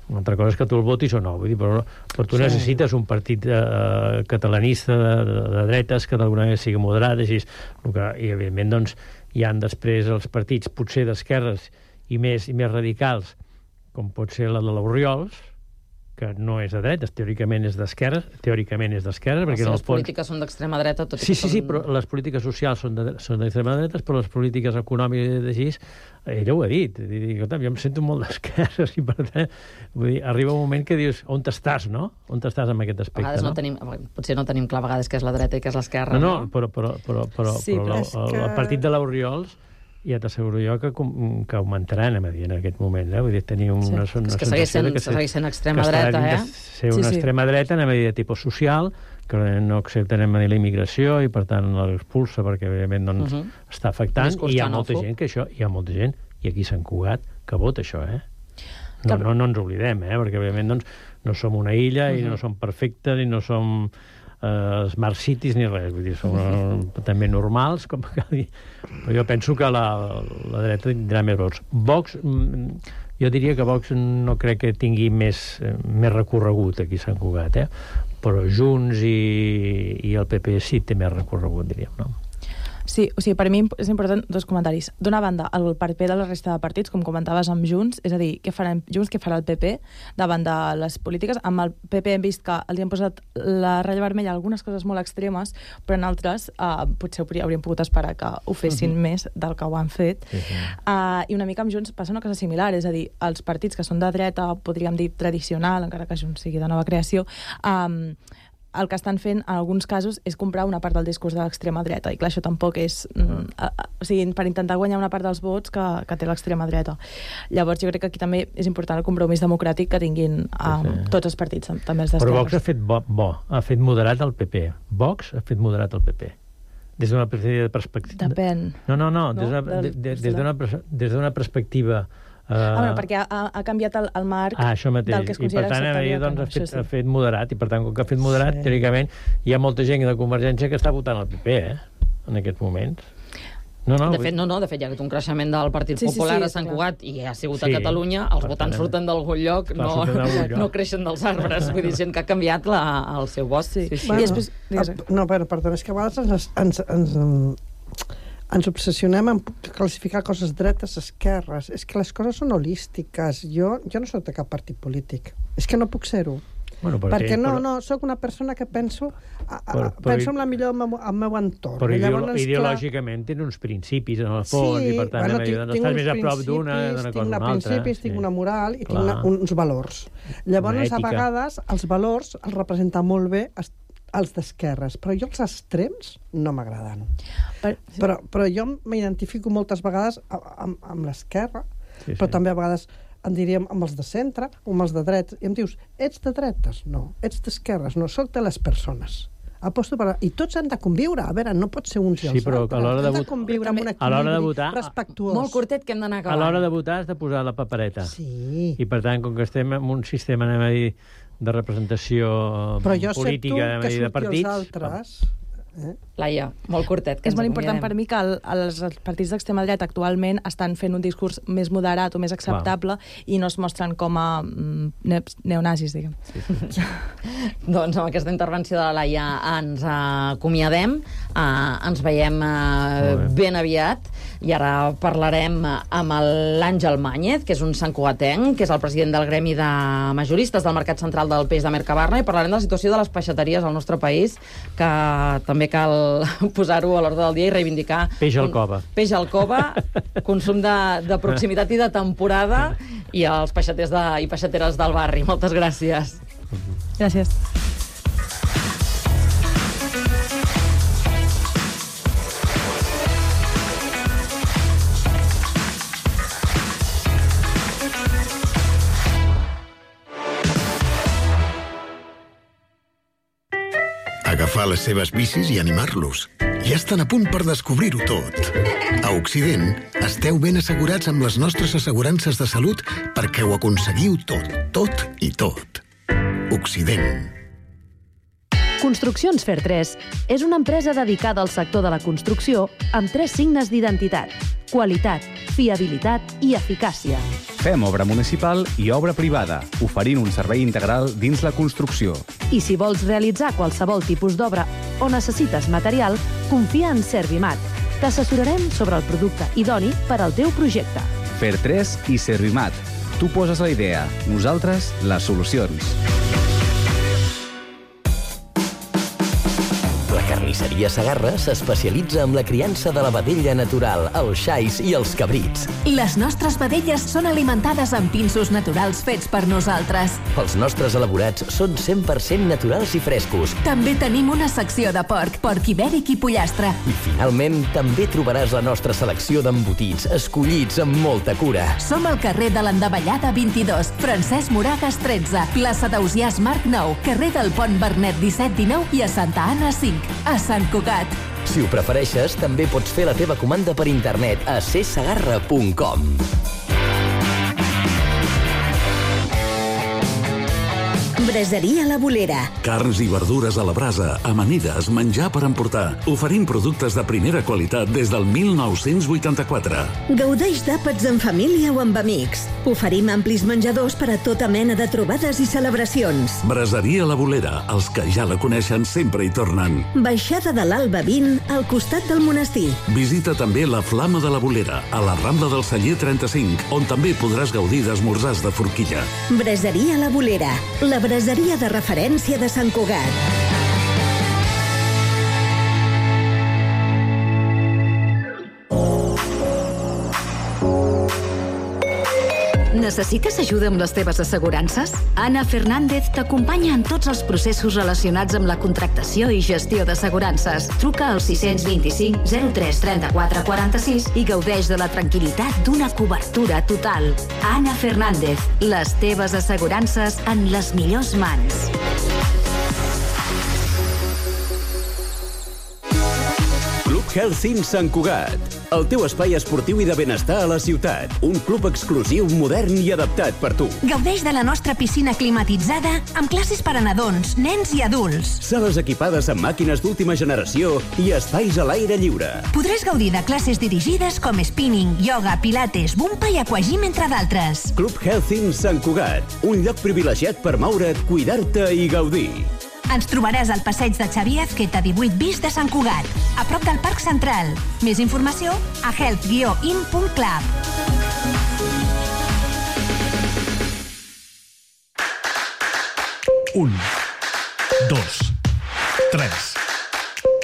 Una altra cosa és que tu el votis o no, vull dir, però, però tu sí. necessites un partit eh, catalanista de, de, de dretes que d'alguna manera sigui moderat, així, que, i evidentment doncs, hi han després els partits potser d'esquerres i més, i més radicals, com pot ser la de l'Oriols, que no és de dretes, teòricament és d'esquerres, teòricament és d'esquerres, perquè si en el les fons... polítiques són d'extrema dreta, tot i sí, que sí, són... sí, però les polítiques socials són d'extrema de, dretes, però les polítiques econòmiques així, ella ho ha dit, dic, jo em sento molt d'esquerres i per tant, vull dir, arriba un moment que dius, on t'estàs, no? On t'estàs amb aquest aspecte, a vegades no? no? Tenim, potser no tenim clar a vegades què és la dreta i què és l'esquerra, no? No, no, però, però, però, però, sí, però, però el, que... el partit de l'Oriols ja t'asseguro jo que, que augmentaran a Madrid en aquest moment, eh? Vull dir, tenir una, sí. una és que segueix sent, que segueix sent extrema dreta, eh? ser una sí, sí. extrema dreta en medida de tipus social, que no accepten en la immigració i per tant l'expulsa perquè evidentment doncs, uh -huh. està afectant, i hi ha molta gent que això, hi ha molta gent, i aquí a Sant Cugat, que vota això, eh? No, no, no ens oblidem, eh? Perquè evidentment doncs, no som una illa uh -huh. i no som perfectes i no som Uh, smart cities ni res, vull dir, són uh, també normals, com cal dir. Però jo penso que la, la dreta tindrà més vots. Vox, jo diria que Vox no crec que tingui més, més recorregut aquí a Sant Cugat, eh? Però Junts i, i el P P sí té més recorregut, diríem, no? Sí, o sigui, per mi és important dos comentaris. D'una banda, el paper de la resta de partits, com comentaves amb Junts, és a dir, què farà Junts, què farà el P P davant de les polítiques. Amb el P P hem vist que els han posat la ratlla vermella algunes coses molt extremes, però en altres uh, potser hauríem pogut esperar que ho fessin uh -huh. més del que ho han fet. Uh -huh. uh, I una mica amb Junts passa una cosa similar, és a dir, els partits que són de dreta, podríem dir tradicional, encara que Junts sigui de nova creació, um, el que estan fent, en alguns casos, és comprar una part del discurs de l'extrema dreta. I clar, això tampoc és... Mm, a, a, o sigui, per intentar guanyar una part dels vots que, que té l'extrema dreta. Llavors, jo crec que aquí també és important el compromís democràtic que tinguin um, sí, sí. tots els partits, també els d'esquerres. Però Vox ha fet bo, bo, ha fet moderat el P P. Vox ha fet moderat el P P. Des d'una perspectiva... Depèn. No, no, no, des d'una de, de, de, des d'una perspectiva... Uh, ah, bueno, perquè ha, ha canviat el, el marc ah, això mateix. Del que es considera I per tant, acceptable. Doncs, no, ha, fet, sí. ha fet moderat, i per tant, com que ha fet moderat, sí. teòricament, hi ha molta gent de Convergència que està votant el P P, eh? En aquests moments. No, no, de fet, no, no, de fet, hi ha hagut un creixement del Partit sí, Popular sí, sí, a Sant clar. Cugat i ha sigut sí, a Catalunya, els votants tant, surten d'algun lloc, clar, no, lloc. no creixen dels arbres, vull dir, gent que ha canviat la, el seu vot. Sí. Sí, sí. Bueno, I després, no, però, perdó, és que a vegades ens, ens, ens, ens obsessionem en classificar coses dretes, esquerres. És que les coses són holístiques. Jo, jo no soc de cap partit polític. És que no puc ser-ho. Bueno, però perquè sí, no, però- no, sóc una persona que penso, a, a, Però- però- penso en la millor al meu, al meu entorn. Però I ideolo llavors, clar, ideològicament tenen uns principis, en el fons, sí, i per tant bueno, bueno, tinc, doncs tinc estàs uns més a prop d'una principis, d'una tinc cosa una d'una altra. principis, tinc una moral i tinc Clar. una, uns valors. Llavors, Una a ètica. vegades, els valors els representen molt bé es- els d'esquerres, però jo els extrems no m'agraden. Per... Però, però jo m'identifico moltes vegades a- amb, amb l'esquerra, Sí, però sí. també a vegades en diríem amb els de centre o amb els de drets. I em dius, ets de dretes? No. Ets d'esquerres? No. Soc de les persones. Aposto per... I tots han de conviure. A veure, no pot ser uns i Sí, els però altres. a l'hora de Has de vot- conviure amb un a l'hora de equilibri votar- respectuós. Molt curtet, que hem d'anar A acabant. l'hora de votar has de posar la papereta. Sí. I per tant, com que estem en un sistema, anem a dir, de representació Però jo accepto política, anem a que dir, de surti partits... els altres. Eh? Laia, molt curtet, que És ens molt important per acomiadem. mi que el, els, els partits d'extrema dreta actualment estan fent un discurs més moderat o més acceptable i no es mostren com a mm, ne neonazis, diguem. Sí, sí. Doncs amb aquesta intervenció de la Laia ens acomiadem, uh, ens veiem uh, ben aviat, i ara parlarem amb l'Àngel Màñez, que és un santcugatenc, que és el president del Gremi de Majoristes del Mercat Central del Peix de Mercabarna, i parlarem de la situació de les peixateries al nostre país, que també cal posar-ho a l'ordre del dia i reivindicar... Peix al cova. Peix al cova, consum de, de proximitat i de temporada, i els peixaters de, i peixateres del barri. Moltes gràcies. Gràcies. Agafar les seves bicis i animar-los. Ja estan a punt per descobrir-ho tot. A Occident, esteu ben assegurats amb les nostres assegurances de salut perquè ho aconseguiu tot, tot i tot. Occident. Construccions Fer tres és una empresa dedicada al sector de la construcció amb tres signes d'identitat: qualitat, fiabilitat i eficàcia. Fem obra municipal i obra privada, oferint un servei integral dins la construcció. I si vols realitzar qualsevol tipus d'obra o necessites material, confia en Servimat. T'assessorarem sobre el producte idoni per al teu projecte. Fer tres i Servimat. Tu poses la idea, nosaltres les solucions. La carnisseria Segarra s'especialitza en la criança de la vedella natural, els xais i els cabrits. Les nostres vedelles són alimentades amb pinsos naturals fets per nosaltres. Els nostres elaborats són cent per cent naturals i frescos. També tenim una secció de porc, porc ibèric i pollastre. I finalment, també trobaràs la nostra selecció d'embotits, escollits amb molta cura. Som al carrer de l'Endavellada vint-i-dos, Francesc Moragas tretze, plaça d'Ausiàs Marc nou, carrer del Pont Bernet disset dinou i a Santa Anna cinc, a Sant Cugat. Si ho prefereixes, també pots fer la teva comanda per internet a c segarra punt com. Braseria La Bolera. Carns i verdures a la brasa, amanides, menjar per emportar. Oferim productes de primera qualitat des del mil nou-cents vuitanta-quatre. Gaudeix d'àpats en família o amb amics. Oferim amplis menjadors per a tota mena de trobades i celebracions. Braseria La Bolera. Els que ja la coneixen sempre hi tornen. Baixada de l'Alba vint, al costat del monestir. Visita també la Flama de la Bolera, a la Rambla del Celler trenta-cinc, on també podràs gaudir d'esmorzars de forquilla. Braseria La Bolera. La braseria de referència de Sant Cugat. Necessites ajuda amb les teves assegurances? Anna Fernández t'acompanya en tots els processos relacionats amb la contractació i gestió d'assegurances. Truca al sis dos cinc zero tres trenta-quatre quaranta-sis i gaudeix de la tranquil·litat d'una cobertura total. Anna Fernández, les teves assegurances en les millors mans. Club Health in Sant Cugat. El teu espai esportiu i de benestar a la ciutat. Un club exclusiu, modern i adaptat per tu. Gaudeix de la nostra piscina climatitzada amb classes per a nadons, nens i adults. Sales equipades amb màquines d'última generació i espais a l'aire lliure. Podràs gaudir de classes dirigides com spinning, yoga, pilates, bumpa i aquagym, entre d'altres. Club Health in Sant Cugat. Un lloc privilegiat per moure't, cuidar-te i gaudir. Ens trobaràs al passeig de Xavier Azqueta divuit bis de Sant Cugat, a prop del Parc Central. Més informació a health guió in punt club. Un, dos, tres,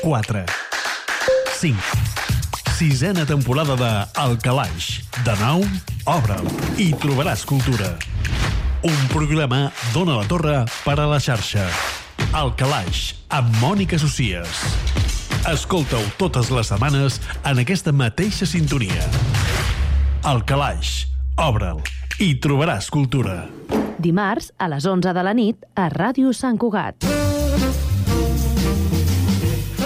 quatre, cinc. Sisena temporada de El Calaix. De nou, obre'l i trobaràs cultura. Un programa d'Ona la Torre per a la xarxa. El Calaix, amb Mònica Socies. Escolta-ho totes les setmanes en aquesta mateixa sintonia. El Calaix, obre'l i trobaràs cultura. Dimarts, a les onze de la nit, a Ràdio Sant Cugat.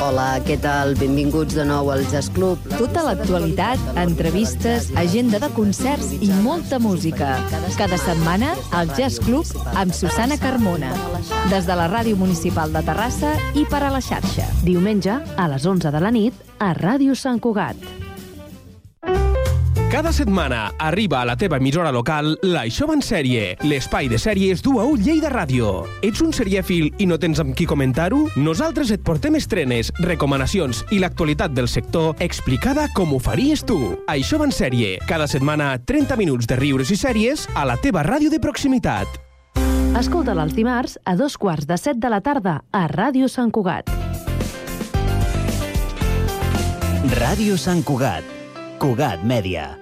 Hola, què tal? Benvinguts de nou al Jazz Club. Tota l'actualitat, entrevistes, agenda de concerts i molta música. Cada setmana, al Jazz Club amb Susana Carmona. Des de la Ràdio Municipal de Terrassa i per a la xarxa. Diumenge, a les onze de la nit, a Ràdio Sant Cugat. Cada setmana arriba a la teva emissora local l'Això va en sèrie, l'espai de sèries d'U A U Lleida Ràdio. Ets un serièfil i no tens amb qui comentar-ho? Nosaltres et portem estrenes, recomanacions i l'actualitat del sector explicada com ho faries tu. Això va en sèrie, cada setmana trenta minuts de riures i sèries a la teva ràdio de proximitat. Escolta-la els dimarts a dos quarts de set de la tarda a Ràdio Sant Cugat. Ràdio Sant Cugat. Cugat Mèdia.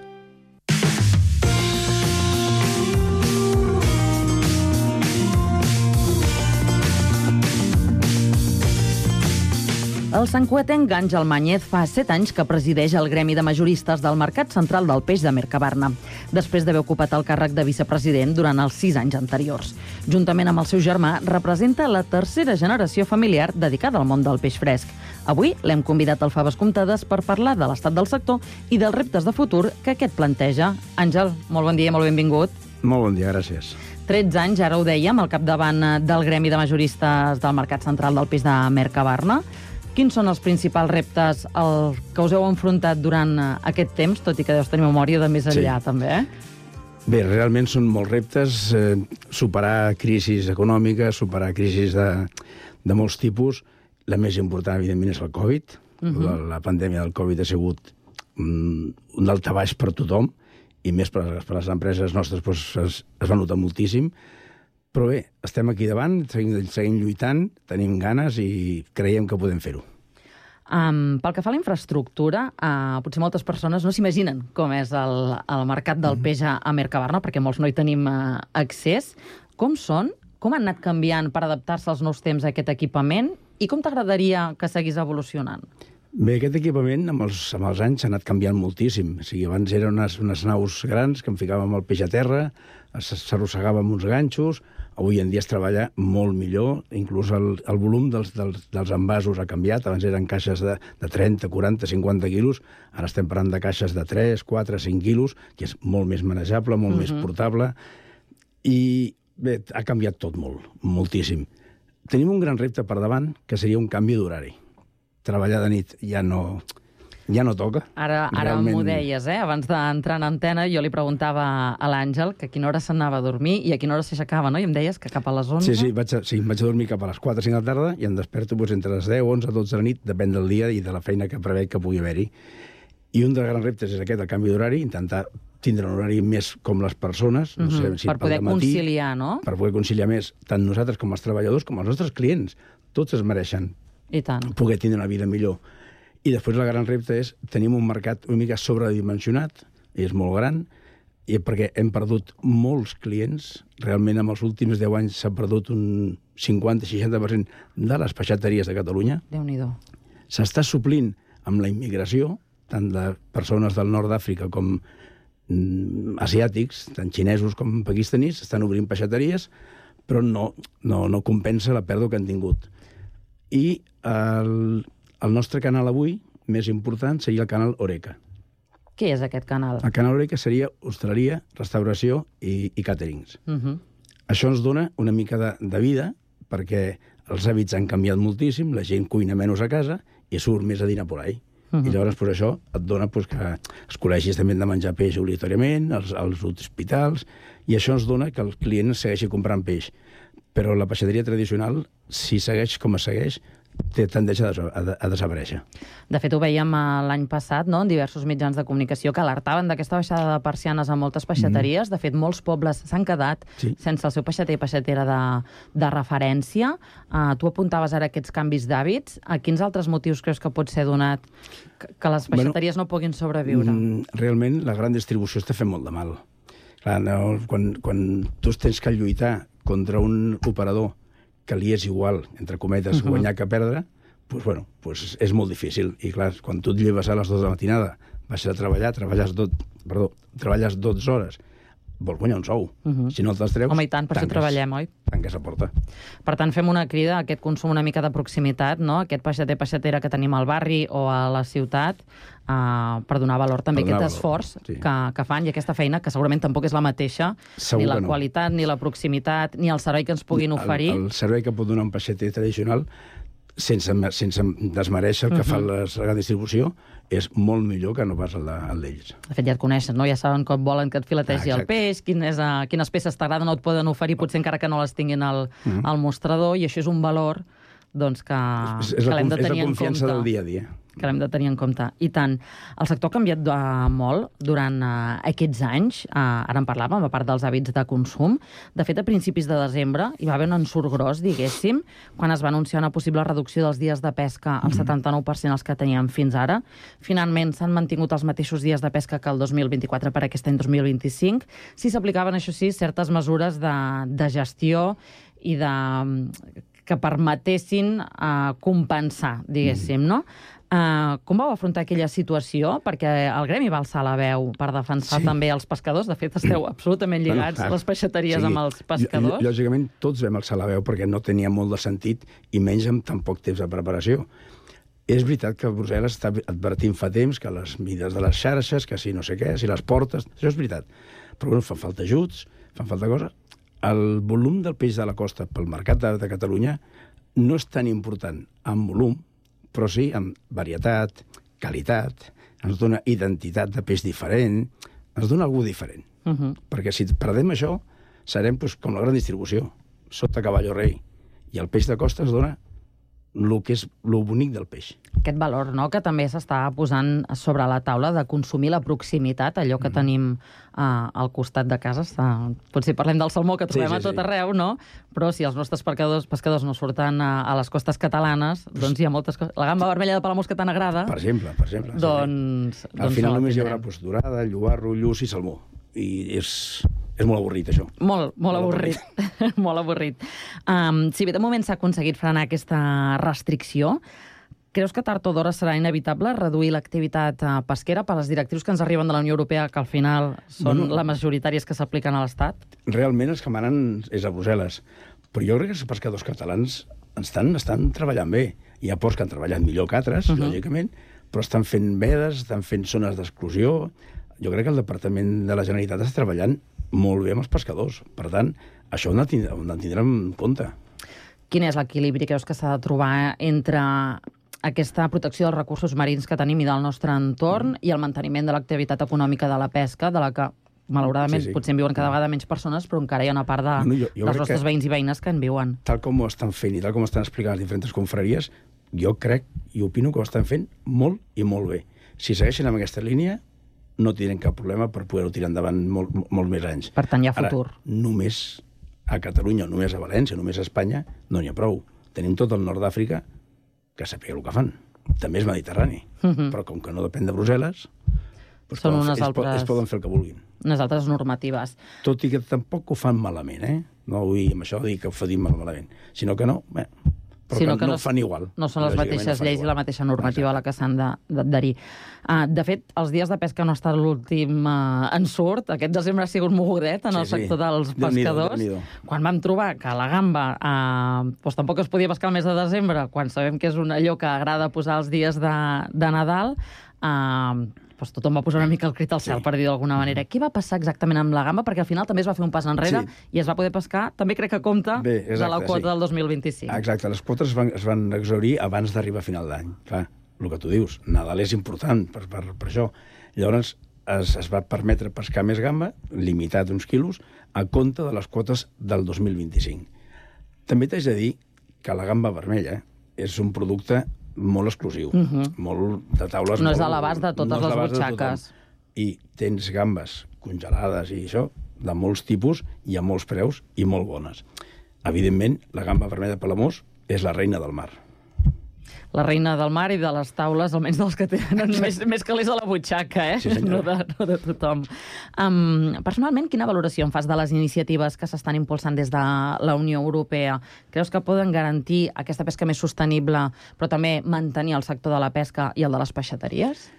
El santcugatenc Àngel Mañez fa set anys que presideix el gremi de majoristes del Mercat Central del Peix de Mercabarna, després d'haver ocupat el càrrec de vicepresident durant els sis anys anteriors. Juntament amb el seu germà, representa la tercera generació familiar dedicada al món del peix fresc. Avui l'hem convidat al Faves Comptades per parlar de l'estat del sector i dels reptes de futur que aquest planteja. Àngel, molt bon dia, molt benvingut. Molt bon dia, gràcies. tretze anys, ara ho dèiem, al capdavant del gremi de majoristes del Mercat Central del Peix de Mercabarna. Quins són els principals reptes el que us heu enfrontat durant aquest temps, tot i que deus tenir memòria de més enllà, sí. també, eh? Bé, realment són molts reptes. Eh, superar crisis econòmiques, superar crisis de, de molts tipus. La més important, evidentment, és el Covid. Uh-huh. la, la pandèmia del Covid ha sigut um, un daltabaix per tothom, i més per, per les empreses nostres doncs, es, es va notar moltíssim. Però bé, estem aquí davant, seguim, seguim lluitant, tenim ganes i creiem que podem fer-ho. Um, pel que fa a la infraestructura, uh, potser moltes persones no s'imaginen com és el, el mercat del peix a, a Mercabarna, perquè molts no hi tenim uh, accés. Com són? Com han anat canviant per adaptar-se als nous temps a aquest equipament? I com t'agradaria que seguís evolucionant? Bé, aquest equipament amb els, amb els anys s'ha anat canviant moltíssim. O sigui, abans eren unes, unes naus grans que en ficàvem el peix a terra, s'arrossegava amb uns ganxos. Avui en dia es treballa molt millor, inclús el, el volum dels, dels, dels envasos ha canviat. Abans eren caixes de, de trenta, quaranta, cinquanta quilos, ara estem parlant de caixes de tres, quatre, cinc quilos, que és molt més manejable, molt uh-huh. més portable, i bé, ha canviat tot molt, moltíssim. Tenim un gran repte per davant, que seria un canvi d'horari. Treballar de nit ja no... ja no toca. Ara, ara Realment... m'ho deies, eh? Abans d'entrar en antena, jo li preguntava a l'Àngel que a quina hora s'anava a dormir i a quina hora s'aixecava, no? I em deies que cap a les onze... Sí, sí, vaig a, sí, vaig a dormir cap a les quatre o cinc de la tarda i em desperto doncs, entre les deu, onze, dotze de la nit, depèn del dia i de la feina que preveig que pugui haver-hi. I un dels grans reptes és aquest, el canvi d'horari, intentar tindre un horari més com les persones, no sé, uh-huh. si per poder matí, conciliar, no? Per poder conciliar més, tant nosaltres com els treballadors, com els nostres clients. Tots es mereixen I tant. poder tindre una vida millor. I després el gran repte és, tenim un mercat una mica sobredimensionat, i és molt gran, i perquè hem perdut molts clients, realment en els últims deu anys s'ha perdut un cinquanta a seixanta per cent de les peixateries de Catalunya. Déu-n'hi-do. S'està suplint amb la immigració, tant de persones del nord d'Àfrica com mm, asiàtics, tant xinesos com pakistanis, estan obrint peixateries, però no, no, no compensa la pèrdua que han tingut. I el... El nostre canal avui, més important, seria el canal Horeca. Què és aquest canal? El canal Horeca seria hostaleria, restauració i, i càterings. Uh-huh. Això ens dona una mica de, de vida, perquè els hàbits han canviat moltíssim, la gent cuina menys a casa i surt més a dinar por ahí. Uh-huh. I llavors pues, això et dona pues, que els col·legis també han de menjar peix obligatòriament, els, els hospitals, i això ens dona que el client segueixi comprant peix. Però la peixateria tradicional, si segueix com es segueix, té tendència a, a, a desaparèixer. De fet, ho veiem l'any passat, no?, en diversos mitjans de comunicació que alertaven d'aquesta baixada de persianes a moltes peixateries. Mm. De fet, molts pobles s'han quedat sí. sense el seu peixater i peixatera de, de referència. Uh, tu apuntaves ara aquests canvis d'hàbits. A quins altres motius creus que pot ser donat que, que les peixateries bueno, no puguin sobreviure? Mm, realment, la gran distribució està fent molt de mal. Clar, no, quan, quan tu tens que lluitar contra un operador que li és igual, entre cometes, uh-huh. guanyar que perdre, doncs, bueno, doncs és molt difícil. I clar, quan tu et lleves a les dues de la matinada, vas a treballar, treballes, dot, perdó, treballes dotze hores, vols guanyar un sou. Uh-huh. Si no te'ls treus, home, i tant, per tanques, això treballem, oi? Tanques la porta. Per tant, fem una crida a aquest consum una mica de proximitat, no? Aquest peixater-peixatera que tenim al barri o a la ciutat, uh, per donar valor també a aquest valor, esforç sí. que, que fan i aquesta feina, que segurament tampoc és la mateixa, Segur ni la no. qualitat, ni la proximitat, ni el servei que ens puguin oferir. El, el servei que pot donar un peixater tradicional, sense, sense desmereixer el que uh-huh. fa la, la distribució, és molt millor que no pas el d'ells. De fet, ja et coneixen, no? Ja saben com volen que et filetegi ah, el peix, quin és, uh, quines peces t'agraden o et poden oferir, potser encara que no les tinguin al, uh-huh. al mostrador, i això és un valor doncs, que, és, és que l'hem de tenir en compte. És la confiança del dia a dia. Que l'hem de tenir en compte. I tant. El sector ha canviat uh, molt durant uh, aquests anys. Uh, ara en parlàvem, a part dels hàbits de consum. De fet, a principis de desembre hi va haver un ensurt gros, diguéssim, quan es va anunciar una possible reducció dels dies de pesca al setanta-nou per cent els que teníem fins ara. Finalment, s'han mantingut els mateixos dies de pesca que el dos mil vint-i-quatre per aquest any dos mil vint-i-cinc. Sí s'aplicaven, això sí, certes mesures de, de gestió i de que permetessin uh, compensar, diguéssim, no? Uh, com vau afrontar aquella situació? Perquè el gremi va alçar la veu per defensar sí. també els pescadors. De fet, esteu absolutament lligats, bueno, les peixateries sí. amb els pescadors. Lògicament, tots vam alçar la veu perquè no tenia molt de sentit i menys amb tan poc temps de preparació. És veritat que Brussel·les està advertint fa temps que les mides de les xarxes, que si no sé què, si les portes... Això és veritat. Però bueno, fan falta ajuts, fan falta coses. El volum del peix de la costa pel mercat de, de Catalunya no és tan important en volum, però sí en varietat, qualitat, ens dona identitat de peix diferent, ens dona algú diferent. Uh-huh. Perquè si perdem això, serem doncs, com la gran distribució, sota cavall o rei. I el peix de costa ens dona el que és el bonic del peix. Aquest valor, no?, que també s'està posant sobre la taula de consumir la proximitat, allò que mm. tenim uh, al costat de casa. Està... Potser parlem del salmó que trobem sí, sí, a tot sí. arreu, no? Però si els nostres pescadors, pescadors no surten a, a les costes catalanes, doncs hi ha moltes coses. La gamba vermella de Palamós que tant agrada... Per exemple, per exemple. Doncs... Sí. Al doncs final no només hi haurà pues, dorada, llobarro, lluç i salmó. I és... És molt avorrit, això. Molt, molt, molt avorrit. avorrit. molt avorrit. Um, si bé de moment s'ha aconseguit frenar aquesta restricció, creus que tard o d'hora serà inevitable reduir l'activitat uh, pesquera per les directrius que ens arriben de la Unió Europea, que al final són bueno, les majoritàries que s'apliquen a l'Estat? Realment els que manen és a Brussel·les. Però jo crec que els pescadors catalans estan, estan treballant bé. Hi ha ports que han treballat millor que altres, uh-huh. lògicament, però estan fent vedes, estan fent zones d'exclusió. Jo crec que el Departament de la Generalitat està treballant molt bé amb els pescadors. Per tant, això ho han de tindre, ho han de tindre en compte. Quin és l'equilibri, creus, que s'ha de trobar entre aquesta protecció dels recursos marins que tenim i del nostre entorn mm. i el manteniment de l'activitat econòmica de la pesca, de la que, malauradament, sí, sí. potser en viuen cada vegada menys persones, però encara hi ha una part de, no, jo, jo dels nostres veïns i veïnes que en viuen. Tal com ho estan fent i tal com ho estan explicant les diferents confraries, jo crec i opino que ho estan fent molt i molt bé. Si segueixen amb aquesta línia, no tindrem cap problema per poder-ho tirar endavant molt, molt més anys. Per tant, hi ha futur. Ara, només a Catalunya, només a València, només a Espanya, no n'hi ha prou. Tenim tot el nord d'Àfrica que sàpiga el que fan. També és Mediterrani. Uh-huh. Però com que no depèn de Brussel·les, doncs són poden, unes ells, altres... ells poden fer el que vulguin. Unes altres normatives. Tot i que tampoc ho fan malament, eh? No vull amb això dir que ho fadim malament. Sinó que no... Bé, però sinó que, que no, no fan igual. No són les mateixes no lleis igual. I la mateixa normativa a la que s'han d'adherir. Uh, de fet, els dies de pesca no ha estat l'últim uh, ensurt. Aquest desembre ha sigut mogudet en sí, el sector sí. dels pescadors. Déu-n'hi-do, Déu-n'hi-do. Quan vam trobar que la gamba uh, doncs tampoc es podia pescar el mes de desembre, quan sabem que és un allò que agrada posar els dies de, de Nadal, uh, doncs tothom va posar una mica el crit al cel, sí. per dir d'alguna manera. Què va passar exactament amb la gamba? Perquè al final també es va fer un pas enrere sí. i es va poder pescar, també crec que compta, Bé, exacte, de la quota sí. del dos mil vint-i-cinc. Exacte, les quotes es van, es van exhaurir abans d'arribar a final d'any. Clar, el que tu dius, Nadal és important per, per, per això. Llavors es, es va permetre pescar més gamba, limitat uns quilos, a compte de les quotes del dos mil vint-i-cinc. També t'haig de dir que la gamba vermella és un producte molt exclusiu, Uh -huh. molt de taules... No és molt- a l'abast de totes no és a les l'abast de tothom. butxaques. I tens gambes congelades i això, de molts tipus i a molts preus i molt bones. Evidentment, la gamba vermella de Palamós és la reina del mar. La reina del mar i de les taules, almenys dels que tenen més, més calés a la butxaca, eh? Sí, senyora. no, de, no de tothom. Um, personalment, quina valoració en fas de les iniciatives que s'estan impulsant des de la Unió Europea? Creus que poden garantir aquesta pesca més sostenible, però també mantenir el sector de la pesca i el de les peixateries?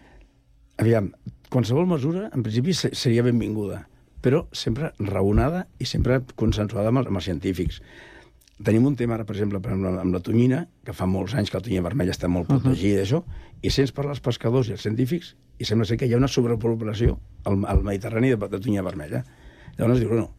Aviam, qualsevol mesura, en principi, se- seria benvinguda, però sempre raonada i sempre consensuada amb els, amb els científics. Tenim un tema ara, per exemple, per exemple, amb la tonyina, que fa molts anys que la tonyina vermella està molt protegida, uh -huh. això, i sents parlar els pescadors i els científics, i sembla ser que hi ha una sobrepoblació al, al Mediterrani de, de tonyina vermella. Llavors dius, no,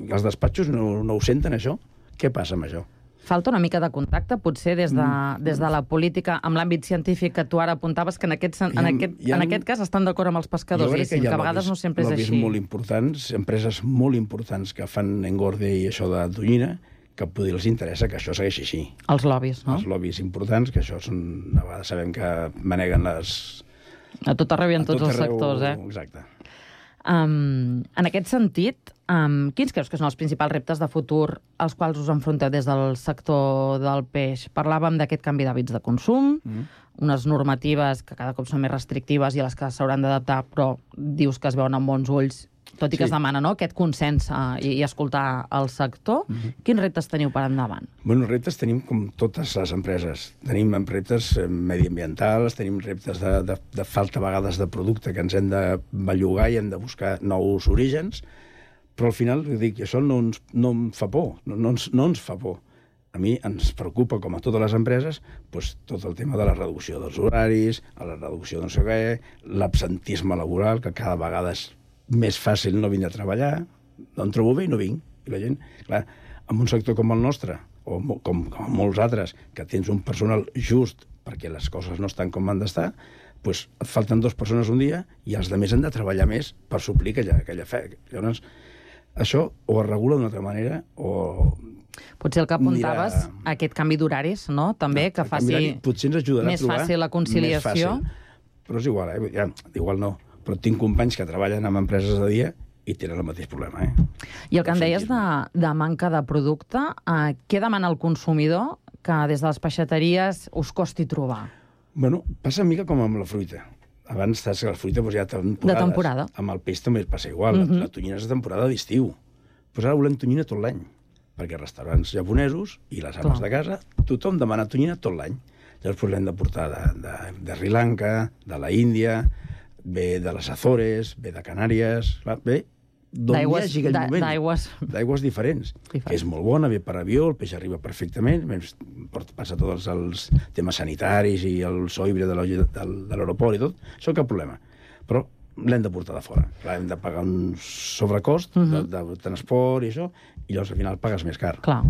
els despatxos no, no ho senten, això? Què passa amb això? Falta una mica de contacte, potser, des de, mm. des de la política, amb l'àmbit científic que tu ara apuntaves, que en aquest, en ha- aquest, hi ha- en aquest cas estan d'acord amb els pescadors, Jo crec diguéssim, hi ha que a vegades lobbies- no sempre és lobbies així. molt importants, empreses molt importants que fan engorde i això de tonyina, que potser els interessa que això segueixi així. Els lobbies, no? Els lobbies importants, que això són... A vegades sabem que maneguen les... A tot arreu i en a tots tot els arreu, sectors, eh? Exacte. Um, en aquest sentit, um, quins creus que són els principals reptes de futur als quals us enfronteu des del sector del peix? Parlàvem d'aquest canvi d'hàbits de consum, Mm. unes normatives que cada cop són més restrictives i a les que s'hauran d'adaptar, però dius que es veuen amb bons ulls, tot i que Sí. es demana, no?, aquest consens uh, i, i escoltar el sector. Mhm. Quins reptes teniu per endavant? Bueno, reptes tenim com totes les empreses. Tenim reptes eh, mediambientals, tenim reptes de, de, de falta a vegades de producte que ens hem de bellugar i hem de buscar nous orígens, però al final, dic, això no ens, no em fa por, no, no, ens, no ens fa por. A mi ens preocupa, com a totes les empreses, doncs, tot el tema de la reducció dels horaris, la reducció de no sé què, l'absentisme laboral, que cada vegada és més fàcil no vindre a treballar, no em trobo bé i no vinc. I la gent, clar, en un sector com el nostre, o mo- com, com molts altres, que tens un personal just perquè les coses no estan com han d'estar, doncs et falten dues persones un dia i els altres han de treballar més per suplir aquella, aquella fe. Llavors, això o es regula d'una altra manera o... Potser el que apuntaves, Mira- aquest canvi d'horaris, no?, també, que el canvi faci d'horari potser ens ajudarà més a trobar fàcil la conciliació. més fàcil. Però és igual, eh? Ja, igual no. Però tinc companys que treballen en empreses de dia i tenen el mateix problema, eh? I el que em deies de, de manca de producte, eh, què demana el consumidor que des de les peixateries us costi trobar? Bueno, passa una mica com amb la fruita. Abans saps que la fruita doncs, hi ha temporades. De temporada. Amb el peix també passa igual. Uh Mhm. -huh. La tonyina és de temporada d'estiu. Pues ara volem tonyina tot l'any. Perquè restaurants japonesos i les ames Clar. de casa, tothom demana tonyina tot l'any. Llavors pues, l'hem de portar de, de, de Sri Lanka, de la Índia, ve de les Azores, ve de Canàries, clar, ve d'on hi D'aigües- hagi aquell d'a- moment. d'aigües- D'aigües diferents. Que és molt bona, ve per avió, el peix arriba perfectament, més, porta- passa tots els temes sanitaris i el soibre de la- del- de l'aeroport i tot, això cap problema. Però l'hem de portar de fora. Clar, hem de pagar un sobrecost Mhm. de, de transport i això, i llavors al final pagues més car. Clar.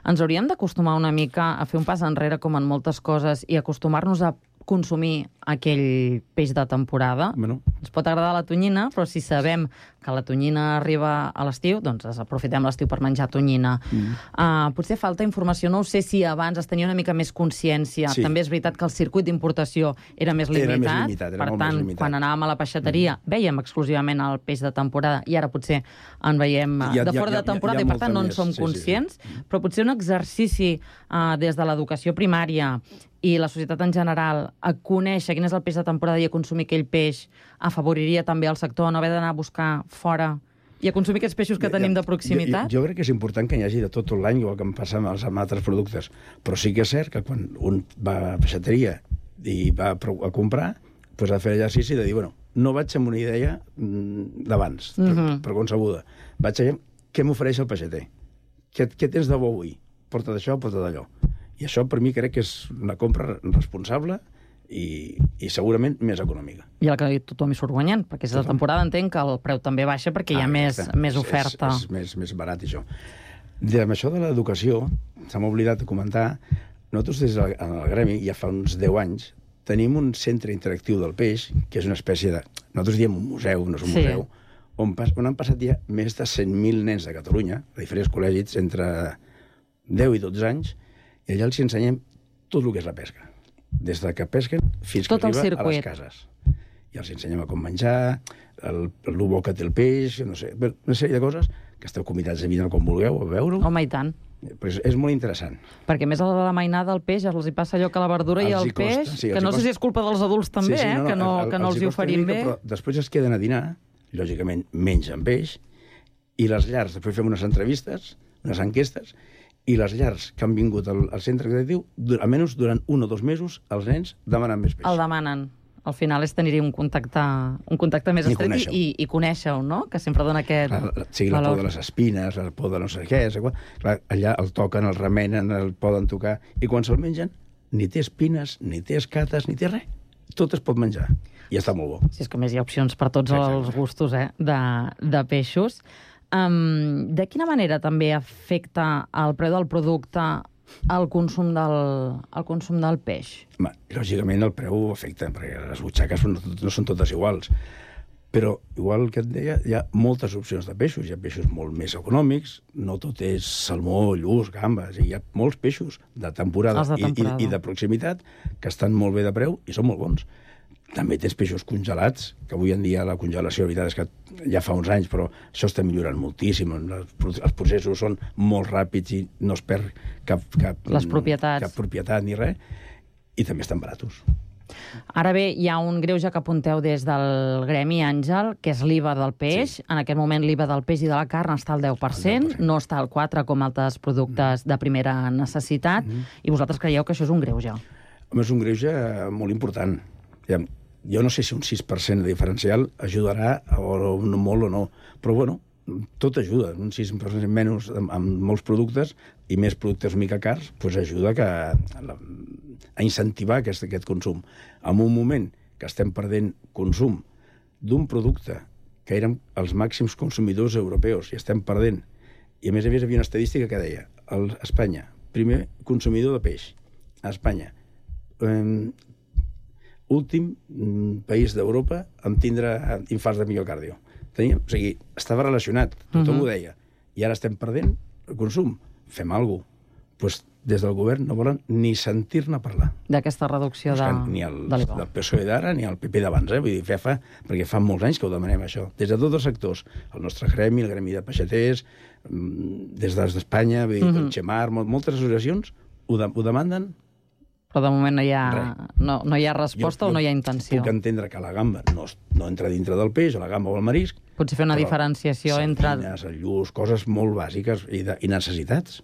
Ens hauríem d'acostumar una mica a fer un pas enrere, com en moltes coses, i acostumar-nos a consumir aquell peix de temporada. Bueno. Ens pot agradar la tonyina, però si sabem que la tonyina arriba a l'estiu, doncs aprofitem l'estiu per menjar tonyina. Mm. Uh, potser falta informació, no ho sé si abans es tenia una mica més consciència. Sí. També és veritat que el circuit d'importació era més Era limitat. més limitat, era per molt més tant, limitat. quan anàvem a la peixateria, mm. veiem exclusivament el peix de temporada, i ara potser en veiem uh, Hi ha- de hi ha- fora hi ha- de temporada, hi ha i per tant molta no en més. som Sí, sí, sí. conscients, però potser un exercici uh, des de l'educació primària i la societat en general a conèixer quin és el peix de temporada i a consumir aquell peix afavoriria també el sector a no haver d'anar a buscar fora i a consumir aquests peixos que tenim de proximitat? Jo, jo, jo crec que és important que hi hagi de tot l'any, igual que em passa amb els amb altres productes. Però sí que és cert que quan un va a peixateria i va a, pro- a comprar, doncs ha de fer l'exercici de dir, bueno, no vaig amb una idea mm, d'abans, Mhm. per, per concebuda. Vaig a veure què m'ofereix el peixater. Què, què tens de bo avui? Porta d'això, porta d'allò. I això, per mi, crec que és una compra responsable i, i segurament més econòmica. I el que tothom hi surt guanyant, perquè és de temporada entenc que el preu també baixa perquè hi ha Ah, més, exacte. més És- oferta. És, és més, més barat, això. De, amb això de l'educació, se m'ha oblidat de comentar, nosaltres des del el gremi, ja fa uns deu anys, tenim un centre interactiu del peix, que és una espècie de... Nosaltres diem un museu, no és un Sí. museu, on, pas, on han passat ja més de cent mil nens de Catalunya, de diferents col·legis, entre deu i dotze anys, i allà els ensenyem tot el que és la pesca. Des de que pesquen fins tot que arriba a les circuit. cases. I els ensenyem a com menjar, el, el bo que té el peix, no sé, una sèrie de coses que esteu convidats a vindre com vulgueu, a veure-ho. Home, i tant. Però és, és molt interessant. Perquè més a la mainada del peix els hi passa allò que la verdura i Els el hi costa, peix, sí, els que hi no sé costa. si és culpa dels adults també, Sí, sí, eh? que no, el- que no els hi costa oferim una bé. mica, Però després es queden a dinar, lògicament mengen peix, i les llars, després fem unes entrevistes, unes enquestes, i les llars que han vingut al, al centre educatiu, du- almenys durant un o dos mesos, els nens demanen més peix. El demanen. Al final és tenir un contacte, un contacte més I estret conèixer-ho. i, i conèixer-ho, no? Que sempre dona aquest Clar, la, sigui la por valor. de les espines, la por de no sé què, sé, clar, allà el toquen, el remenen, el poden tocar, i quan se'l mengen, ni té espines, ni té escates, ni té res. Tot es pot menjar, i està molt bo. Si és que a més hi ha opcions per tots Exacte. els gustos eh? de, de peixos. Um, de quina manera també afecta el preu del producte al consum del, al consum del peix? Ma, lògicament el preu afecta, perquè les butxaques no, no són totes iguals. Però, igual que et deia, hi ha moltes opcions de peixos. Hi ha peixos molt més econòmics, no tot és salmó, lluç, gambes, hi ha molts peixos de temporada, Els de temporada. I, i, i de proximitat que estan molt bé de preu i són molt bons. També tens peixos congelats, que avui en dia la congelació, la veritat és que ja fa uns anys, però això està millorant moltíssim. Els processos són molt ràpids i no es perd cap, cap, Les propietats. cap propietat ni res, i també estan baratos. Ara bé, hi ha un greuge que apunteu des del Gremi, Àngel, que és l'I V A del peix. Sí. En aquest moment l'I V A del peix i de la carn està al deu per cent, no està al quatre per cent com altres productes mm. de primera necessitat, mm. i vosaltres creieu que això és un greuge? Home, és un greuge molt important. Jo no sé si un sis per cent de diferencial ajudarà, o no, molt o no, però bueno, tot ajuda. Un sis per cent menys amb, amb molts productes i més productes mica cars, doncs ajuda que, a, a incentivar aquest, aquest consum. En un moment que estem perdent consum d'un producte que érem els màxims consumidors europeus i estem perdent, i a més a més hi havia una estadística que deia el, Espanya, primer consumidor de peix a Espanya, eh, últim país d'Europa en tindre infarts de miocàrdio. Teníem, o sigui, estava relacionat, tothom uh -huh. ho deia, i ara estem perdent el consum. Fem alguna cosa. Pues, des del govern no volen ni sentir-ne parlar. D'aquesta reducció de, ni el, de l'I V A. del P S O E d'ara ni el P P d'abans, eh? Vull dir, fa, fa, perquè fa molts anys que ho demanem, això. Des de tots els sectors. El nostre gremi, el gremi de peixaters, des d'Espanya, vull dir, uh -huh. el Xemar, moltes associacions ho, de, ho demanden. Però de moment no hi ha, no, no hi ha resposta jo, jo o no hi ha intenció. Puc entendre que la gamba no, no entra dintre del peix, o la gamba o el marisc. Potser fer una diferenciació entre... Sardines, el lluç, coses molt bàsiques i, de, i necessitats.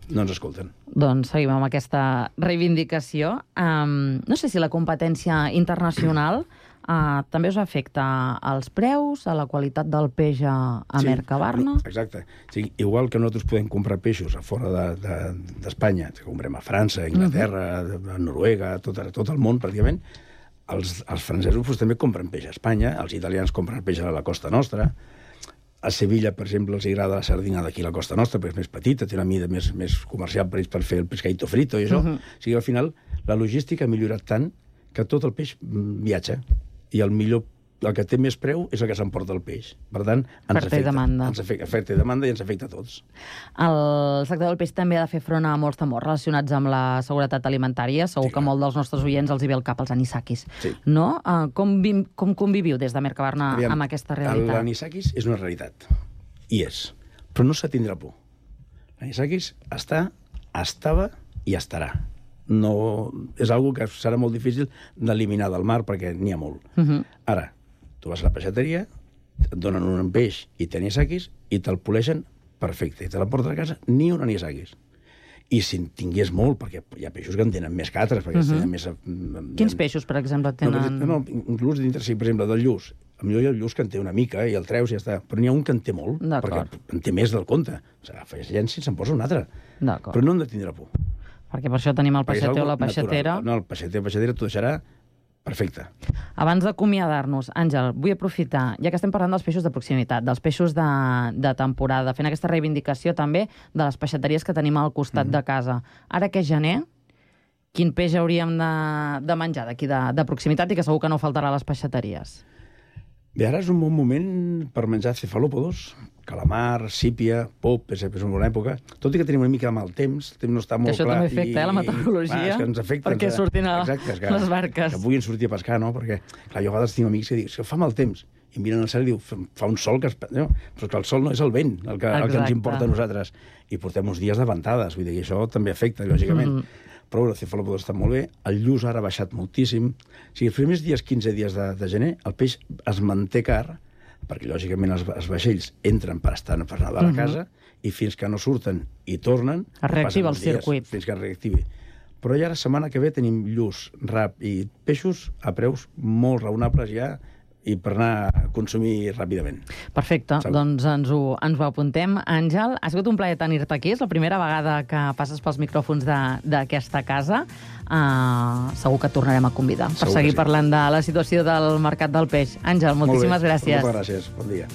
No ens escolten. Doncs seguim amb aquesta reivindicació. Um, no sé si la competència internacional uh, també us afecta als preus, a la qualitat del peix a, a sí, Mercabarna? Exacte. Sí, igual que nosaltres podem comprar peixos a fora d'Espanya, de, de, que comprem a França, a Inglaterra, uh -huh. a Noruega, a tot, a tot el món, pràcticament, els, els francesos pues, també compren peix a Espanya, els italians compren peix a la costa nostra. A Sevilla, per exemple, els agrada la sardina d'aquí a la costa nostra, perquè és més petita, té una mida més, més comercial per ells per fer el pescadito frito i això. Uh -huh. O sigui, al final, la logística ha millorat tant que tot el peix viatja. I el millor, el que té més preu és el que s'emporta el peix. Per tant, ens Oferta i demanda. Ens afecta, oferta i demanda i ens afecta a tots. El sector del peix també ha de fer front a molts temors relacionats amb la seguretat alimentària. Segur sí, que molt dels nostres oients els hi ve al cap els anisakis. Sí. No? Uh, com, vi, com conviviu des de Mercabarna Aviam, amb aquesta realitat? L'anisakis és una realitat. I és. Però no s'ha tindrà por. L'anisakis està, estava i estarà. No, és algo que serà molt difícil d'eliminar del mar perquè n'hi ha molt. Uh -huh. Ara, tu vas a la peixateria, et donen un peix i t'anisakis i te'l poleixen perfecte. I te la portes a casa, ni un anisakis. I si en tingués molt, perquè hi ha peixos que en tenen més que altres, perquè uh -huh. tenen més... Quins peixos, per exemple, tenen... No, no, inclús dintre, sí, per exemple, del lluç. A millor hi ha el lluç que en té una mica i el treus i ja està. Però n'hi ha un que en té molt, perquè en té més del compte. O sigui, afegeix llenci i se'n posa un altre. Però no hem de tindre por. Perquè per això tenim el peixater o la peixatera. Natural. No, el peixater o la peixatera t'ho deixarà perfecte. Abans d'acomiadar-nos, Àngel, vull aprofitar, ja que estem parlant dels peixos de proximitat, dels peixos de, de temporada, fent aquesta reivindicació també de les peixateries que tenim al costat mm-hmm. de casa. Ara que és gener, quin peix hauríem de, de menjar d'aquí de, de proximitat i que segur que no faltarà a les peixateries? Bé, ara és un bon moment per menjar cefalòpodos, calamar, sípia, pop, és, és una bona època. Tot i que tenim una mica de mal temps, el temps no està molt això clar. Això també afecta, eh, la meteorologia, clar, és que ens afecta, perquè ens, surtin a exacte, és que, les barques. Que puguin sortir a pescar, no? Perquè, clar, jo a vegades tinc amics que diuen que fa mal temps, i miren al cel i diu, fa un sol que... Es... No, però que el sol no és el vent el que, el que ens importa a nosaltres. I portem uns dies de ventades, vull dir que això també afecta, lògicament. Mm. Però el cefalòpodes està molt bé, el lluç ara ha baixat moltíssim. O sigui, els primers dies, quinze dies de, de gener, el peix es manté car, perquè, lògicament, els, els vaixells entren per estar per nedar a la casa, mm-hmm. i fins que no surten i tornen... Es reactiva el circuit. Fins que es reactivi. Però ja la setmana que ve tenim lluç, rap i peixos a preus molt raonables ja, i per anar a consumir ràpidament. Perfecte, Salut. Doncs ens ho, ens ho apuntem. Àngel, ha sigut un plaer tenir-te aquí. És la primera vegada que passes pels micròfons d'aquesta casa. Uh, segur que et tornarem a convidar segur per seguir sí. parlant de la situació del mercat del peix. Àngel, moltíssimes gràcies. Moltes gràcies. Bon dia.